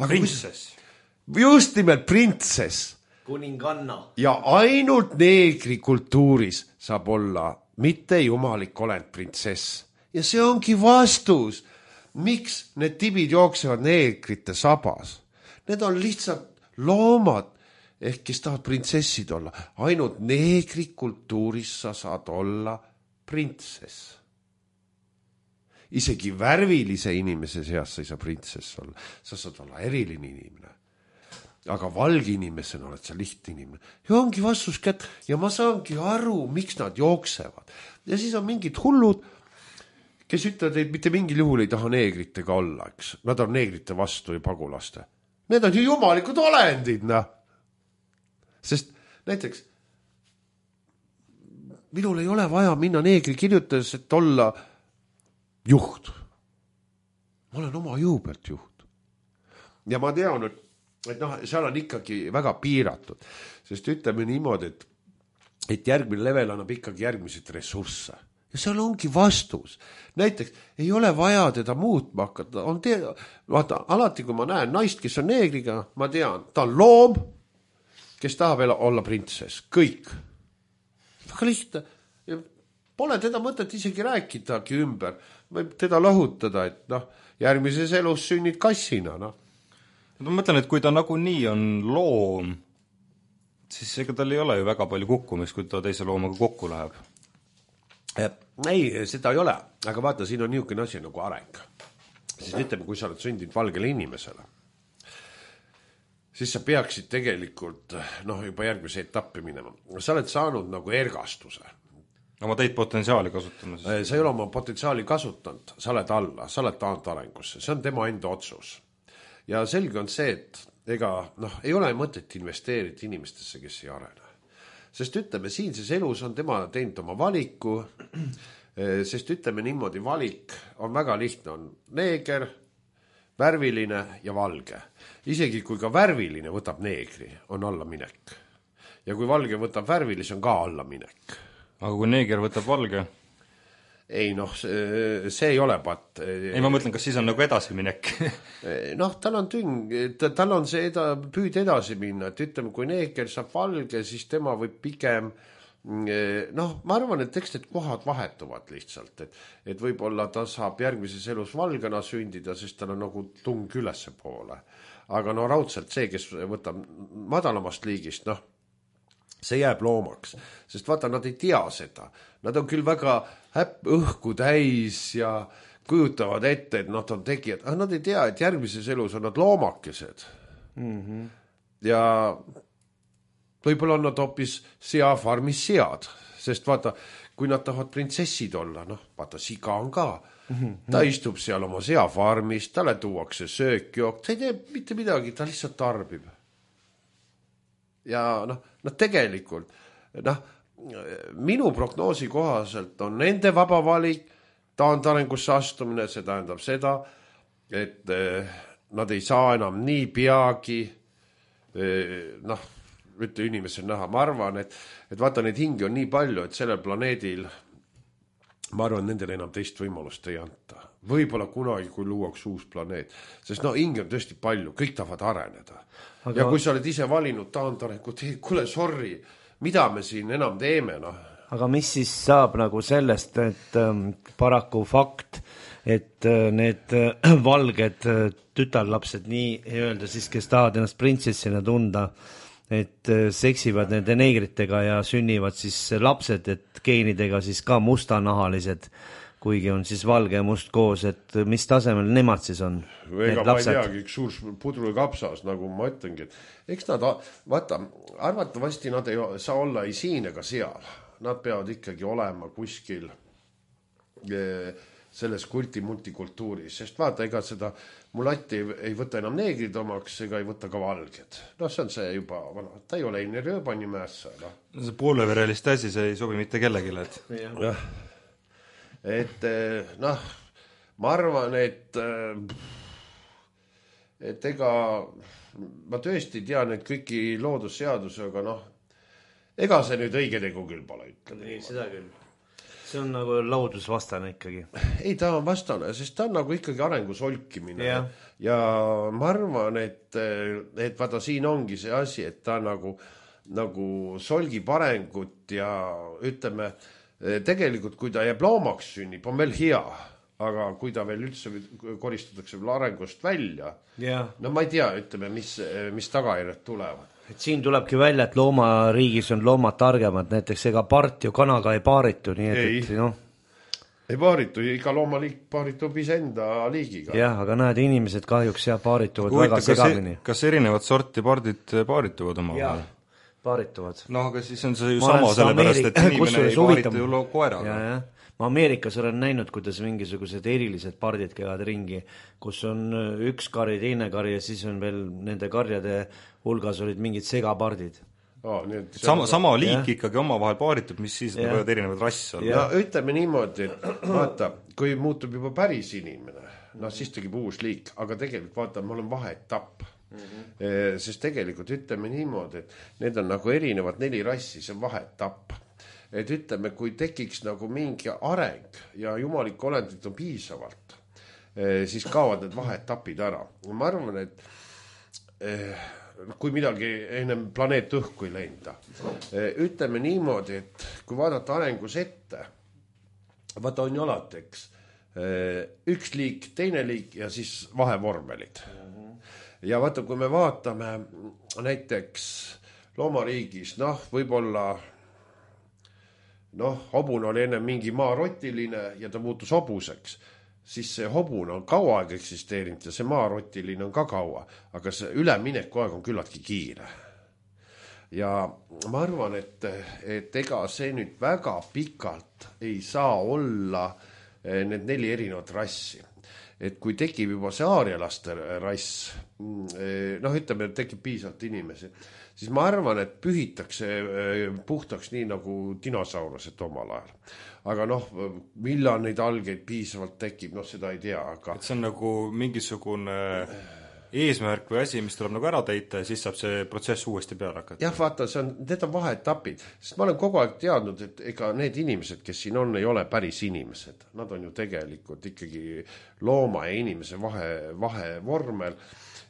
Printsess. Just nimelt printsess. Kuninganna. Ja ainult neegrikultuuris saab olla mitte jumalik olend printsess. Ja see ongi vastus. Miks need tibid jooksevad neegrite sabas? Need on lihtsalt loomad, ehk kes tahavad printsessid olla. Ainult neegrikultuuris sa saad olla printsess. Isegi värvilise inimese seas sa ei saa printsess olla. Sa saad olla eriline inimene. Aga valge inimesena oled sa lihtne inimene. Ja ongi vastus kätt. Ja ma saangi aru, miks nad jooksevad. Ja siis on mingid hullud, kes ütlevad, et mitte mingil juhul ei taha neegritega olla, eks. Nad on neegrite vastu ja pagulaste. Need on ju jumalikud olendid, noh. Sest näiteks minul ei ole vaja minna neegri kirjutades, et olla juht. Ma olen oma jõu pealt juht. Ja ma tean, et noh, seal on ikkagi väga piiratud. Sest ütleme niimoodi, et järgmine level annab ikkagi järgmiseid ressursse. Ja seal ongi vastus. Näiteks ei ole vaja teda muutma hakata. Vaata, alati kui ma näen naist, kes on neegriga, ma tean, ta on loom, kes tahab olla printsess. Kõik. Väga lihtne. Pole teda mõtet isegi rääkidagi ümber. Võib teda lahutada, et noh, järgmises elus sünnid kassina. No. Ma mõtlen, et kui ta nagunii on loom, siis ega tal ei ole ju väga palju kukkumist, kui ta teise loomaga kokku läheb. Ei, seda ei ole, aga vaata, siin on niisugune asi nagu areng. Siis ütleme, kui sa oled sündinud valgele inimesele, siis sa peaksid tegelikult juba järgmise etappi minema. Sa oled saanud nagu ergastuse. Oma teid potentsiaali kasutama. Sa ei ole oma potentsiaali kasutanud, sa oled alla, sa oled taant arengusse, see on tema enda otsus. Ja selge on see, et ei ole mõtet investeerida inimestesse, kes ei arene. Sest ütleme, siinses elus on tema teinud oma valiku, sest ütleme niimoodi, valik on väga lihtne, on neeger, värviline ja valge. Isegi kui ka värviline võtab neegri, on allaminek. Ja kui valge võtab värvilis, on ka allaminek. Aga kui neeger võtab valge? Ei, see ei ole pat. Ei, ma mõtlen, kas siis on nagu edasiminek? Tal on tal on see püüd edasi minna, et ütleme, kui neeger saab valge, siis tema võib pigem, ma arvan, et eks need kohad vahetuvad lihtsalt, et võib-olla ta saab järgmises elus valgena sündida, sest tal on nagu tung ülesse poole. Aga raudselt see, kes võtab madalamast liigist, see jääb loomaks, sest vaata, nad ei tea seda. Nad on küll väga õhku täis ja kujutavad ette, et nad on tegijad, aga nad ei tea, et järgmises elus on nad loomakesed. Ja võib-olla on nad hoopis seafarmis sead, sest vaata, kui nad tahavad printsessid olla, vaata, siga on ka. Ta istub seal oma seafarmis, talle tuuakse söökjook, ta ei tee mitte midagi, ta lihtsalt tarbib. Ja tegelikult, minu prognoosi kohaselt on nende vaba valik, taantarengusse astumine, see tähendab seda, et nad ei saa enam nii peagi, ütle inimesel näha, ma arvan, et vaata, neid hingi on nii palju, et sellel planeedil, ma arvan, nendel enam teist võimalust ei anta. Võib-olla kunagi, kui luuaks uus planeet. Sest hingi on tõesti palju, kõik tahavad areneda. Ja kui sa oled ise valinud taantarengut, kuule, sorry, mida me siin enam teeme, aga mis siis saab nagu sellest, et paraku fakt, et need valged tütarlapsed nii-öelda siis, kes tahavad ennast printsessina tunda, et seksivad nende neegritega ja sünnivad siis lapsed, et geenidega siis ka mustanahalised, kuigi on siis valge ja must koos, et mis tasemel nemad siis on? Ega ma ei teagi, üks suur pudrukapsas, nagu ma ütlengi, et eks nad, vaata, arvatavasti nad ei saa olla ei siin ega seal. Nad peavad ikkagi olema kuskil selles kulti-multikultuuris, sest vaata, ega seda mulatti ei võta enam neegrid omaks, ega ei võta ka valged. No see on see juba, ta ei ole Eine Rööbani mäessa. See pooleverelist asi, see ei sobi mitte kellegile, et... Jah. Et noh, ma arvan, et ega ma tõesti tean, et kõiki loodusseaduse, aga noh, ega see nüüd õige tegu küll pole, ütleme. Ei, seda küll. See on nagu loodusvastane ikkagi. Ei, ta on vastane, sest ta on nagu ikkagi arengus olkimine. Ja ma arvan, et vaata siin ongi see asi, et ta nagu solgib arengut ja ütleme, tegelikult, kui ta jääb loomaks sünnib, on veel hea, aga kui ta veel üldse koristatakse veel arengust välja, no ma ei tea, ütleme, mis tagajärjed tulevad. Et siin tulebki välja, et loomariigis on loomad targemad, näiteks ega part ju kanaga ei paaritu, nii et noh. Ei paaritu, iga loomaliik paaritub iseenda liigiga. Jah, aga näed, inimesed kahjuks paarituvad väga segamini. Kas erinevad sorti pardid paarituvad oma vahel? Paarituvad. No aga siis on see ju sama, sellepärast, et inimene ei paaritu ju koeraga. Ma Ameerikas olen näinud, kuidas mingisugused erilised pardid käivad ringi, kus on üks kari, teine kari ja siis on veel nende karjade hulgas olid mingid segapardid. Sama liik ikkagi omavahel paaritud, mis siis võivad erinevad rass olla. Ja ütleme niimoodi, et vaata, kui muutub juba päris inimene, no siis tegib uus liik, aga tegelikult vaata, mul on vaheetapp. Sest tegelikult ütleme niimoodi, et need on nagu erinevad 4 rassi, see on vaheetapp. Et ütleme, kui tekiks nagu mingi areng ja jumalikku olendit on piisavalt, siis kaovad need vaheetapid ära. Ma arvan, et kui midagi ennem planeet õhku ei lenda, ütleme niimoodi, et kui vaadata arengus ette, vaata on ju alati, eks, üks liik, teine liik ja siis vahevormelid. Ja vaata, kui me vaatame näiteks loomariigis, noh, võib-olla hobun oli enne mingi maarotiline ja ta muutus hobuseks, siis see hobun on kaua aeg eksisteerinud ja see maarotiline on ka kaua, aga see ülemineku aeg on küllaltki kiire. Ja ma arvan, et ega see nüüd väga pikalt ei saa olla need 4 erinevat rassi. Et kui tekib juba see aarialaste rass, ütleme, et tekib piisavalt inimesi, siis ma arvan, et pühitakse puhtaks nii nagu dinosaurused omal ajal. Aga millal neid algeid piisavalt tekib, seda ei tea. Aga... Et see on nagu mingisugune eesmärk või asi, mis tuleb nagu ära täita ja siis saab see protsess uuesti peale hakata. Jah, vaata, need on vaheetapid, sest ma olen kogu aeg teadnud, et ega need inimesed, kes siin on, ei ole päris inimesed. Nad on ju tegelikult ikkagi looma ja inimese vahevormel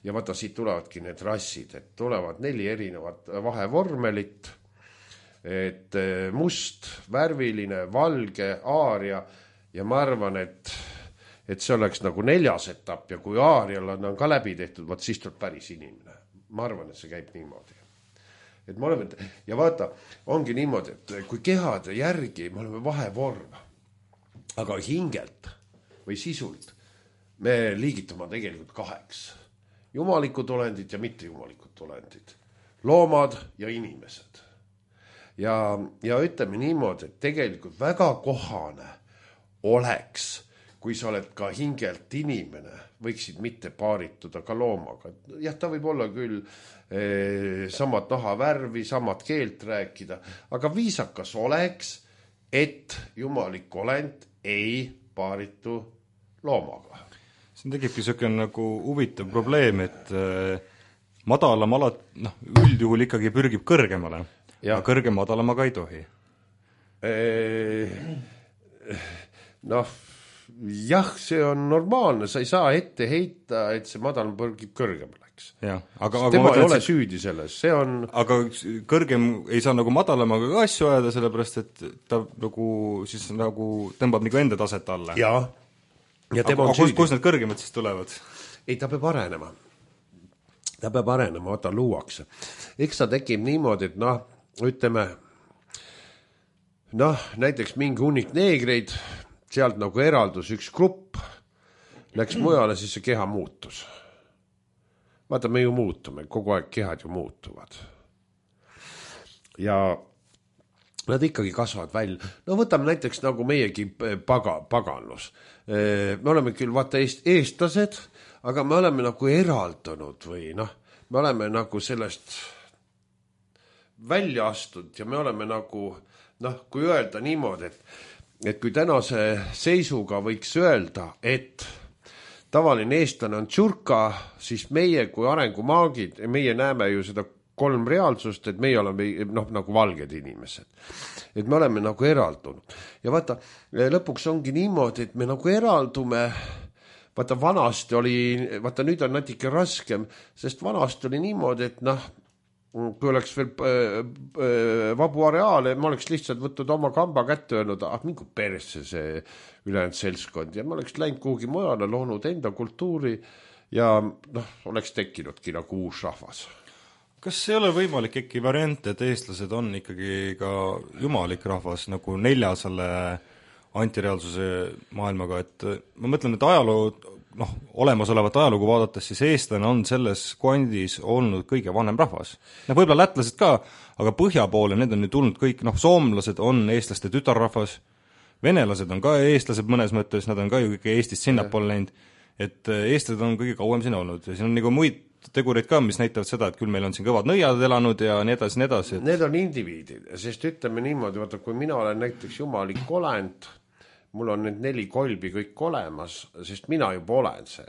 ja vaata, siit tulevadki need rassid, et tulevad 4 erinevat vahevormelit, et must, värviline, valge, aaria ja ma arvan, et see oleks nagu 4. etapp ja kui aarial on ka läbi tehtud, siis tuleb päris inimene. Ma arvan, et see käib niimoodi. Et me oleme, ja vaata, ongi niimoodi, et kui kehade järgi me oleme vahevorm, aga hingelt või sisult me liigitume tegelikult 2. Jumalikud olendid ja mitte jumalikud olendid. Loomad ja inimesed. Ja ütleme niimoodi, et tegelikult väga kohane oleks, kui sa oled ka hingelt inimene, võiksid mitte paarituda ka loomaga. Jah, ta võib olla küll samad nahavärvi, samad keelt rääkida, aga viisakas oleks, et jumalik olend ei paaritu loomaga. See tekibki selline nagu huvitav probleem, et madalam üldjuhul ikkagi pürgib kõrgemale, aga kõrge madalamaga ei tohi. Jah, see on normaalne, sa ei saa ette heita, et see madalam pürgib kõrgemale. eks. Aga tema ei ole süüdi selles, see on... Aga kõrgem ei saa nagu madalamaga ka asju ajada, sellepärast et ta nagu siis nagu tõmbab nagu enda taset alla. Ja tema on süüdi. Kus need kõrgemad siis tulevad? Ei, ta peab arenema. Vaata luuakse. Eks ta tekib niimoodi, et ütleme, näiteks mingi hunnik neegreid, sealt nagu eraldus üks grupp, läks mujale, siis see keha muutus. Vaata, me ju muutume, kogu aeg kehad ju muutuvad. Ja nad ikkagi kasvavad välja. Võtame näiteks nagu meiegi paganlus. Me oleme küll vaata eestlased, aga me oleme nagu eraldunud või me oleme nagu sellest välja astunud ja me oleme nagu, kui öelda niimoodi, et kui tänase seisuga võiks öelda, et tavaline eestlane on tšurka, siis meie kui arengumaagid, meie näeme ju seda 3 reaalsust, et meie oleme nagu valged inimesed. Et me oleme nagu eraldunud. Ja vaata, lõpuks ongi niimoodi, et me nagu eraldume, vaata vanasti oli, vaata nüüd on natuke raskem, sest vanasti oli niimoodi, et kui oleks veel vabu areaale, ma oleks lihtsalt võtnud oma kamba kätte öelnud, mingu persse see ülejäänud seltskond ja ma oleks läinud kuhugi mujale, loonud enda kultuuri ja oleks tekkinudki nagu uus rahvas. Kas ei ole võimalik äkki variant, et eestlased on ikkagi ka jumalik rahvas nagu 4 selle antireaalsuse maailmaga, et ma mõtlen, et ajaloo, olemasolevat ajalugu vaadates, siis eestlane on selles kvandis olnud kõige vanem rahvas. Võib-olla lätlased ka, aga põhja poole need on ju tulnud kõik, soomlased on eestlaste tütarrahvas, venelased on ka eestlased mõnes mõttes, nad on ka ju kõik Eestist sinnapoole läinud, et eestlased on kõige kauem siin olnud ja siin on nagu muid tegureid ka, mis näitavad seda, et küll meil on siin kõvad nõiad elanud ja nii edasi, nii edasi. Need on indiviidid, sest ütleme niimoodi, vaata, kui mina olen näiteks jumalik olend, mul on need 4 kolbi kõik olemas, sest mina juba olen see.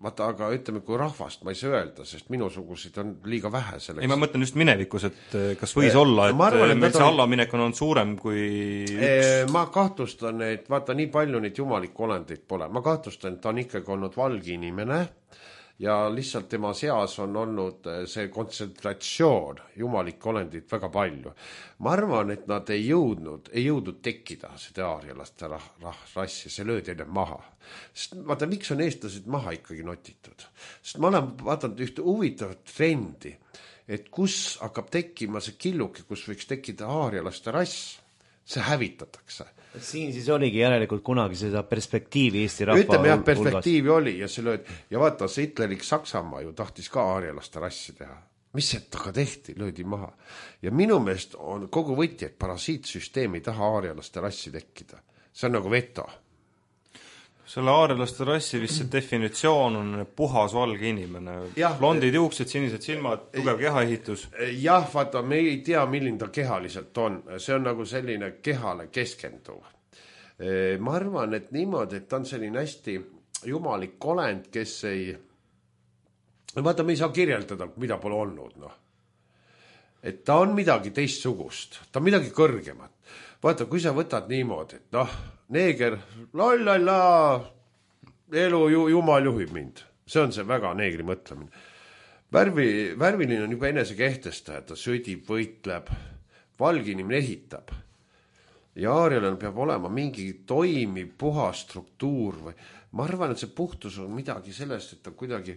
Vaata, aga ütleme, kui rahvast ma ei saa öelda, sest minusuguseid on liiga vähe selleks. Ei, ma mõtlen just minevikus, et kas võis olla, et meil see allaminek on olnud suurem kui üks? Ma kahtlustan, et vaata, nii palju neid jumalik olendeid pole. Ma kahtlustan, et ta on ikkagi olnud valge inimene, ja lihtsalt tema seas on olnud see kontsentratsioon jumalik olendid väga palju. Ma arvan, et nad ei jõudnud tekkida seda aarialaste rassi, see löödi enne maha. Sest vaata, miks on eestlased maha ikkagi notitud? Sest ma olen vaadanud ühte huvitavat trendi, et kus hakkab tekkima see killuke, kus võiks tekkida aarialaste rass, see hävitatakse. Siin siis oligi järelikult kunagi seda perspektiivi Eesti rahva ütleme jah, perspektiivi oli ja see löödi. Ja vaata, see Hitlerik Saksamaa ju tahtis ka aarialaste rassi teha. Mis see taga tehti? Löödi maha. Ja minu meelest on kogu võti, et parasiitsüsteem ei taha aarialaste rassi tekkida. See on nagu veto. Selle aarialaste rassi vist see definitsioon on puhas valge inimene. Blondid juuksed, sinised silmad, tugev kehaehitus. Jah, vaata, me ei tea, milline ta kehaliselt on. See on nagu selline kehale keskenduv. Ma arvan, et niimoodi, et ta on selline hästi jumalik olend, kes ei... Vaata, me ei saa kirjeldada, mida pole olnud. Et ta on midagi teistsugust. Ta on midagi kõrgemat. Vaata, kui sa võtad niimoodi, et neeger, elu jumal juhib mind. See on see väga neegri mõtlemine. Värviline on juba enese kehtestaja, ta sõdib, võitleb, valge inimene ehitab. Ja aarialal peab olema mingi toimiv, puha struktuur. Või. Ma arvan, et see puhtus on midagi sellest, et ta kuidagi,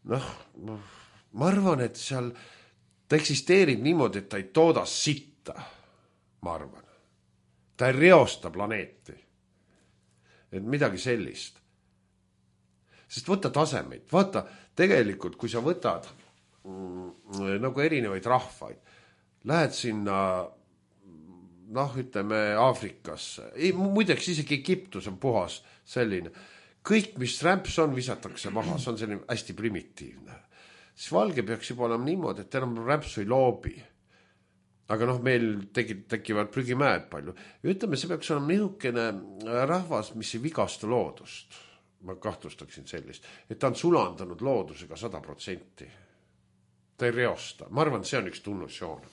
ma arvan, et seal ta eksisteerib niimoodi, et ta ei tooda sitta, ma arvan. Ta ei reosta planeeti. Et midagi sellist. Sest võta tasemeid. Vaata, tegelikult, kui sa võtad nagu erinevaid rahvaid, lähed sinna, ütleme, Aafrikasse. Muideks isegi Egiptus on puhas selline. Kõik, mis rämps on, visatakse maha. See on selline hästi primitiivne. Siis valge peaks juba olema niimoodi, et enam rämpsu ei loobi. Aga meil tekivad prügimäed palju. Ja ütleme, see peaks olema niisugune rahvas, mis ei vigasta loodust. Ma kahtlustaksin sellist. Et ta on sulandanud loodusega 100%. Ta ei reosta. Ma arvan, see on üks tunnusjoon.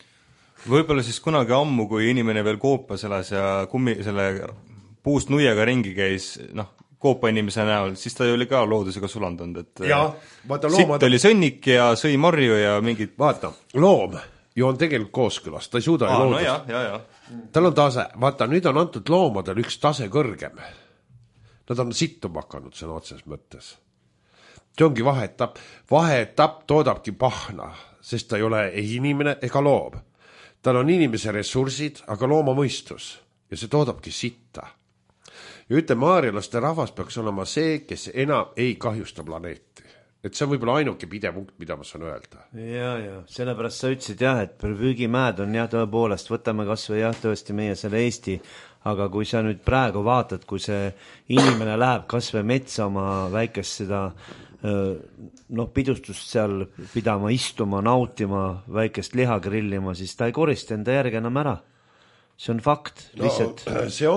Võib-olla siis kunagi ammu, kui inimene veel koopas elas ja selle puust nuiega ringi käis, koopainimese näol, siis ta oli ka loodusega sulandunud, et vaata, sitt oli sõnnik ja sõi marju ja mingid... Vaata, loom ju on tegelikult kooskõlas, ta ei suuda ju loodust. No tal on tase, vaata, nüüd on antud loomadel üks tase kõrgem. Nad on sittuma hakanud sõna otses mõttes. See ongi vaheetapp. Vaheetapp toodabki pahna, sest ta ei ole ei inimene ega loom. Tal on inimese ressursid, aga looma mõistus ja see toodabki sitta. Ja ütleme, aarialaste rahvas peaks olema see, kes enam ei kahjusta planeeti. Et see on võib-olla ainuke pidepunkt, mida ma saan öelda. Ja, sellepärast sa ütlesid jah, et püügimäed on jah tõepoolest, võtame kas või jah tõesti meie selle Eesti, aga kui sa nüüd praegu vaatad, kui see inimene läheb kas või metsa oma väikest seda pidustust seal pidama, istuma, nautima, väikest liha grillima, siis ta ei korista enda järgi enam ära. See on fakt, lihtsalt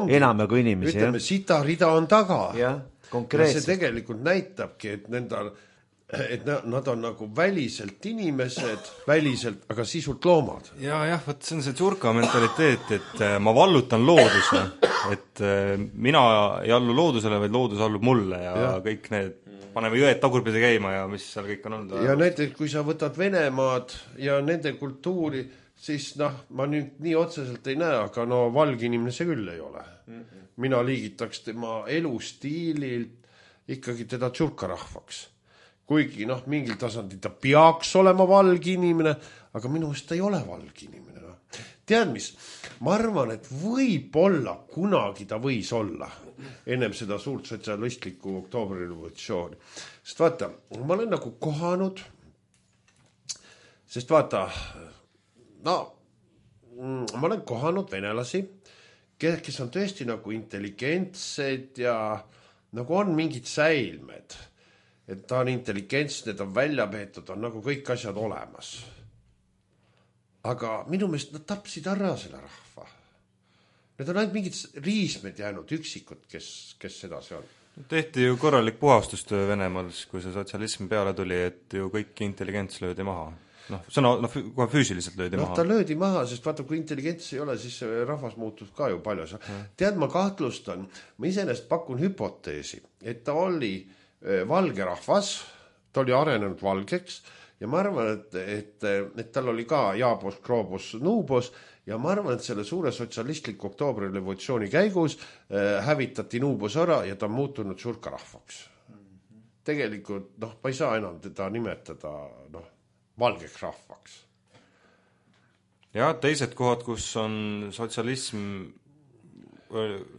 enam kui inimesi. Ütleme, sita rida on taga. Ja, konkreetselt. See tegelikult näitabki, et nad on nagu väliselt inimesed, väliselt, aga sisult loomad. Jah, võt see on see tsurka mentaliteet, et ma vallutan looduse, et mina ei allu loodusele, vaid loodus allub mulle ja kõik need, paneme jõed tagurpidi käima ja mis seal kõik on olnud. Ja näiteks, kui sa võtad Venemaad ja nende kultuuri, siis ma nüüd nii otseselt ei näe, aga valge inimene see küll ei ole. Mina liigitaks tema elustiililt ikkagi teda tsurkarahvaks. Kuigi mingil tasandil ta peaks olema valge inimene, aga minu eest ta ei ole valge inimene. Tead mis, ma arvan, et võib-olla kunagi ta võis olla ennem seda suurt sotsialistlikku oktoobrirevolutsiooni. Sest vaata, ma olen nagu kohanud, sest vaata, ma olen kohanud venelasi, kes on tõesti nagu intelligentsed ja nagu on mingid säilmed. Et ta on intelligents, need on välja peetud, on nagu kõik asjad olemas. Aga minu meelest nad tapsid ära selle rahva. Need on ainult mingid riismed jäänud, üksikud, kes sedasi on. Tehti ju korralik puhastustöö Venemaal, kui see sotsialism peale tuli, et ju kõik intelligents löödi maha. Kohe füüsiliselt löödi maha. Ta löödi maha, sest vaata, kui intelligents ei ole, siis rahvas muutus ka ju palju. Tead, ma kahtlustan, ma iseenesest pakun hüpoteesi, et ta oli valge rahvas, ta oli arenenud valgeks ja ma arvan, et tal oli ka jaabos, kroobos, nuubos ja ma arvan, et selle suure sotsialistliku oktoobrirevolutsiooni käigus hävitati nuubos ära ja ta on muutunud surkarahvaks. Tegelikult, ma ei saa enam teda nimetada valgeks rahvaks. Ja teised kohad, kus on sotsialism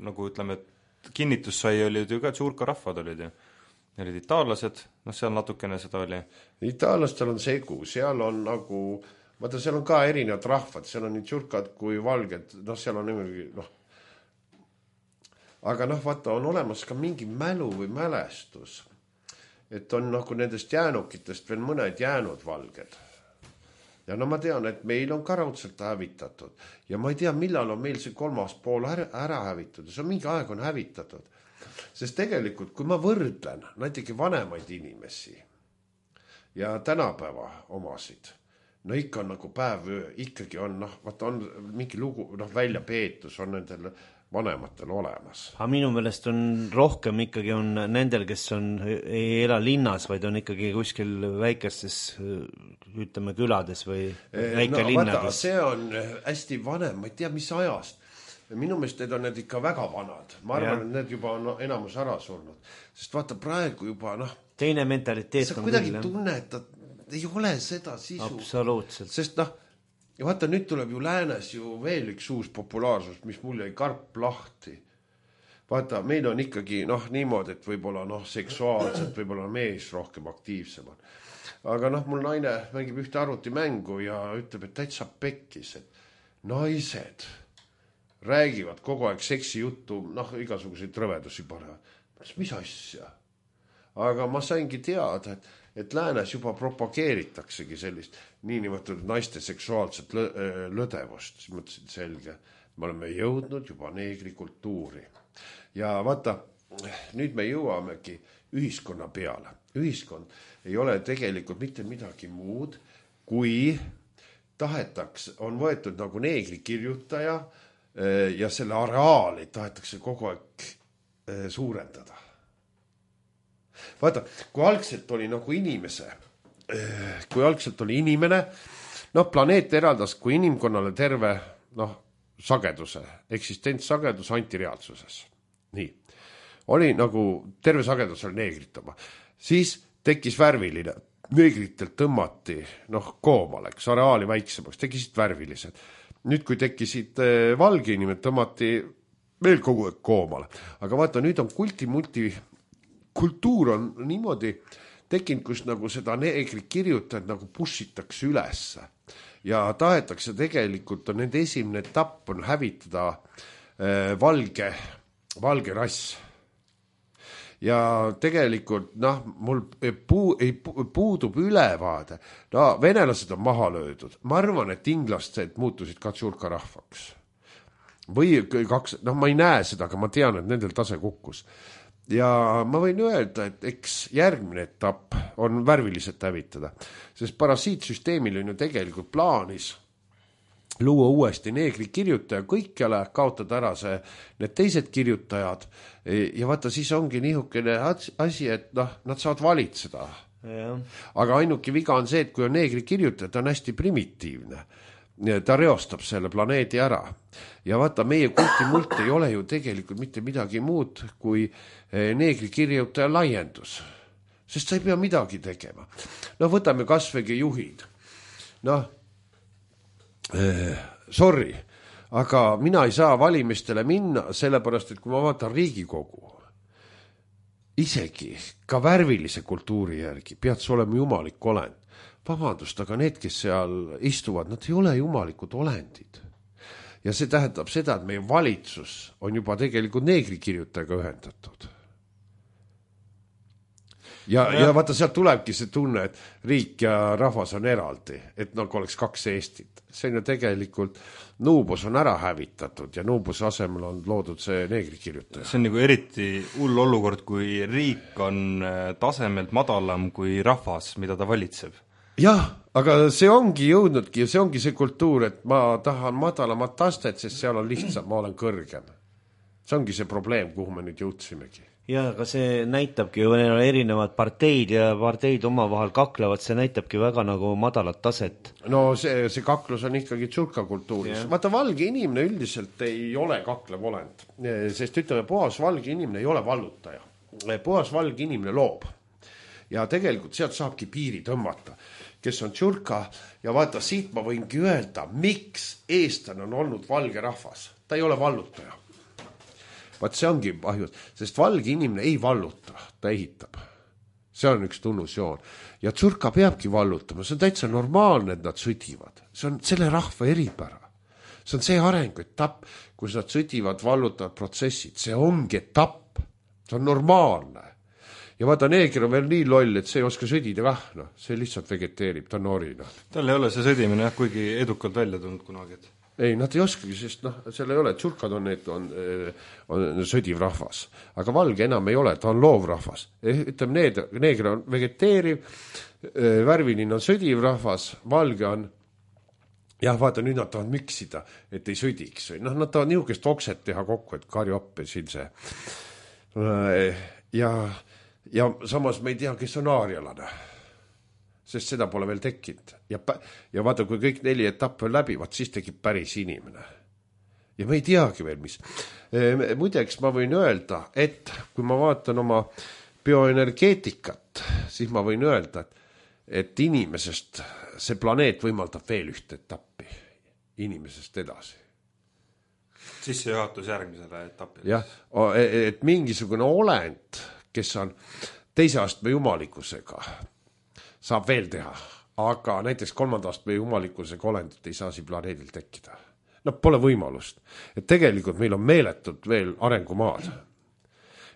nagu ütleme, et kinnitus sai, olid ju ka surkarahvad olid ju. Olid itaallased, seal natukene seda oli. Itaallastel on segu, seal on nagu, vaata, seal on ka erinevad rahvad, seal on nii tsurkad kui valged, seal on niimoodi, aga vaata, on olemas ka mingi mälu või mälestus, et on nagu nendest jäänukitest veel mõned jäänud valged. Ja ma tean, et meil on ka raudselt hävitatud ja ma ei tea, millal on meil see kolmas pool ära hävitud, see on mingi aeg on hävitatud. Sest tegelikult, kui ma võrdlen näiteks vanemaid inimesi ja tänapäeva omasid, ikka on nagu päev, ikkagi on, vaata on mingi lugu, väljapeetus on nendel vanematel olemas. Aga minu meelest on rohkem ikkagi on nendel, kes ei ela linnas, vaid on ikkagi kuskil väikestes, ütleme, külades või väikelinnades. Vaata, see on hästi vanem, ma ei tea, mis ajast. Minu meelest need on need ikka väga vanad. Ma arvan, et need juba on enamus ära surnud. Sest vaata praegu juba, teine mentaliteet on küll. Sa kuidagi tunned, et ei ole seda sisu. Absoluutselt. Sest ja vaata, nüüd tuleb ju läänes ju veel üks uus populaarsus, mis mul jäi karp lahti. Vaata, meil on ikkagi niimoodi, et võib-olla seksuaalselt, võib-olla mees rohkem aktiivsem on. Aga mul naine mängib ühte arvutimängu ja ütleb, et täitsa pekkis, et naised räägivad kogu aeg seksi juttu, igasuguseid rõvedusi panevad. Mis asja? Aga ma saingi teada, et läänes juba propageeritaksegi sellist niinimetatud naiste seksuaalset lõdevust. Siis mõtlesin, selge, me oleme jõudnud juba neegrikultuuri. Ja vaata, nüüd me jõuamegi ühiskonna peale. Ühiskond ei ole tegelikult mitte midagi muud, kui tahetaks, on võetud nagu neegri kirjutaja ja selle areaali tahetakse kogu aeg suurendada. vaata, kui algselt oli nagu inimene, noh, planeet eraldas kui inimkonnale terve, noh, sageduse, eksistentsagedus antireaalsuses. Nii. Oli nagu terve sagedus oli neegritama. Siis tekkis värviline. Neegritelt tõmmati, noh, koomale, eks areaali väiksemaks, tekkisid värvilised. Nüüd, kui tekkisid valge inimesed, tõmmati veel kogu aeg koomale. Aga vaata, nüüd on kulti-multi kultuur on niimoodi tekkinud, kus nagu seda neegri kirjutajad nagu pussitakse ülesse. Ja tahetakse tegelikult, on nende esimene etapp on hävitada valge rass. Ja tegelikult, noh, mul puudub ülevaade. No, venelased on maha löödud. Ma arvan, et inglased muutusid ka tšurka rahvaks. Või kaks, noh, ma ei näe seda, aga ma tean, et nendel tase kukkus. Ja ma võin öelda, et eks järgmine etapp on värviliselt hävitada, sest parasiitsüsteemil on ju tegelikult plaanis luua uuesti neegri kirjutaja kõikjale, kaotada ära need teised kirjutajad ja vaata, siis ongi niisugune asi, et noh, nad saavad valitseda. Ja. Aga ainuke viga on see, et kui on neegri kirjutaja, ta on hästi primitiivne. Ta reostab selle planeedi ära. Ja vaata, meie kulti-mult ei ole ju tegelikult mitte midagi muud kui neegri kirjutaja laiendus. Sest sa ei pea midagi tegema. No võtame kasvõi juhid. Noh, sorry, aga mina ei saa valimistele minna, sellepärast, et kui ma vaatan Riigikogu, isegi ka värvilise kultuuri järgi pead sa olema jumalik olend. Vabandust, aga need, kes seal istuvad, nad ei ole jumalikud olendid. Ja see tähendab seda, et meie valitsus on juba tegelikult neegri kirjutajaga ühendatud. Ja vaata, sealt tulebki see tunne, et riik ja rahvas on eraldi, et nagu oleks kaks Eestit. See on ju tegelikult, Nuubos on ära hävitatud ja Nuubose asemel on loodud see neegri kirjutaja. See on nagu eriti hull olukord, kui riik on tasemelt madalam kui rahvas, mida ta valitseb. Jah, aga see ongi jõudnudki ja see ongi see kultuur, et ma tahan madalamat tastet, sest seal on lihtsam, ma olen kõrgem. See ongi see probleem, kuhu me nüüd jõudsimegi. Ja, aga see näitabki ju, neil on erinevad parteid ja parteid omavahel kaklevad, see näitabki väga nagu madalat taset. No see kaklus on ikkagi tšurka kultuuris. Yeah. Vaata, valge inimene üldiselt ei ole kaklev olend, sest ütleme, puhas valge inimene ei ole vallutaja. Puhas valge inimene loob. Ja tegelikult sealt saabki piiri tõmmata, kes on tšurka ja vaata, siit ma võingi öelda, miks eestlane on olnud valge rahvas. Ta ei ole vallutaja. Vaat see ongi ahjus, sest valge inimene ei valluta, ta ehitab. See on üks tunnusjoon. Ja tšurka peabki vallutama, see on täitsa normaalne, et nad sõdivad. See on selle rahva eripära. See on see arengu etapp, kus nad sõdivad, vallutavad protsessid. See ongi etapp. See on normaalne. Ja vaata, neeger on veel nii loll, et see ei oska sõdida kah, no, see lihtsalt vegeteerib, ta on norina. Tal ei ole see sõdimine, kuigi edukalt välja tulnud kunagi. Ei, nad ei oskagi, sest seal ei ole, tšurkad on sõdiv rahvas. Aga valge enam ei ole, ta on loov rahvas. Ütleme, neeger on vegeteeriv, värviline on sõdiv rahvas, valge on, jah, vaata, nüüd nad tahavad miksida, et ei sõdiks. Noh, nad tahavad niisugust okset teha kokku, et karju appe siin see. Ja samas me ei tea, kes on aarialane, sest seda pole veel tekkinud. Ja vaata, kui kõik 4 etapp on läbi, vaat siis tekib päris inimene. Ja me ei teagi veel, mis. Muideks ma võin öelda, et kui ma vaatan oma bioenergeetikat, siis ma võin öelda, et inimesest see planeet võimaldab veel ühte etappi inimesest edasi. Sissejuhatus järgmisele etapile. Jah, et mingisugune olend, kes on teise astme jumalikkusega, saab veel teha. Aga näiteks 3. astme jumalikkusega olendit ei saa siin planeedil tekkida. No pole võimalust. Et tegelikult meil on meeletud veel arengumaad.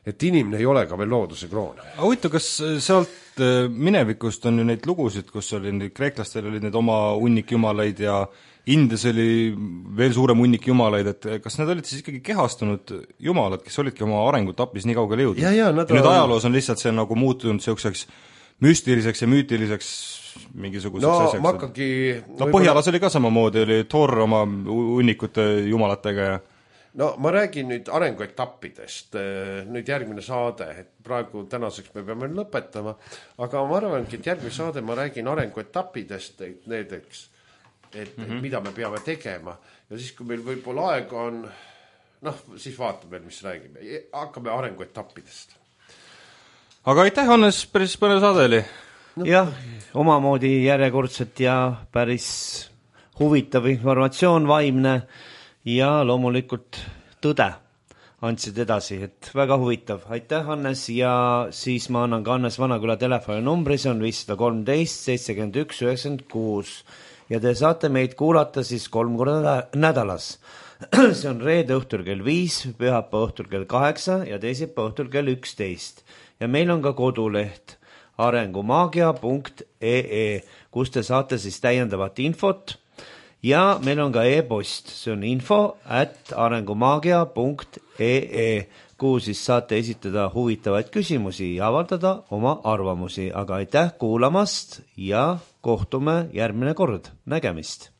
Et inimene ei ole ka veel looduse kroon. Aga huvitav, kas sealt minevikust on ju neid lugusid, kus oli kreeklastel olid need oma hunnikjumalaid ja Indias oli veel suurem hunnik jumalaid, et kas need olid siis ikkagi kehastunud jumalad, kes olidki oma arengutapis nii kaugele jõudnud? Ja nüüd ajaloos on lihtsalt see nagu muutunud selliseks müstiliseks ja müütiliseks mingisuguseks asjaks. Ma hakkagi... Põhjalas oli ka samamoodi, oli Thor oma hunnikute jumalatega ja no ma räägin nüüd arenguetappidest, nüüd järgmine saade, et praegu tänaseks me peame lõpetama, aga ma arvangi, et järgmine saade ma räägin arenguetappidest, näiteks, et mida me peame tegema ja siis, kui meil võib-olla aega on, noh, siis vaatame veel, mis räägime. Hakkame arenguetappidest. Aga aitäh, Hannes, päris põnev saade oli. Jah, omamoodi järjekordselt ja päris huvitav informatsioon, vaimne ja loomulikult tõde andsid edasi, et väga huvitav. Aitäh, Hannes, ja siis ma annan ka Hannes Vanaküla telefoninumbri, see on 513 71 96 ja te saate meid kuulata siis 3 korda nädalas. See on reede õhtul kell 5, pühapäeva õhtul kell 8 ja teisipäeva õhtul kell 11 ja meil on ka koduleht arengumaagia.ee, kus te saate siis täiendavat infot ja meil on ka e-post, see on info@arengumaagia.ee, kuhu siis saate esitada huvitavaid küsimusi ja avaldada oma arvamusi, aga aitäh kuulamast ja kohtume järgmine kord, nägemist!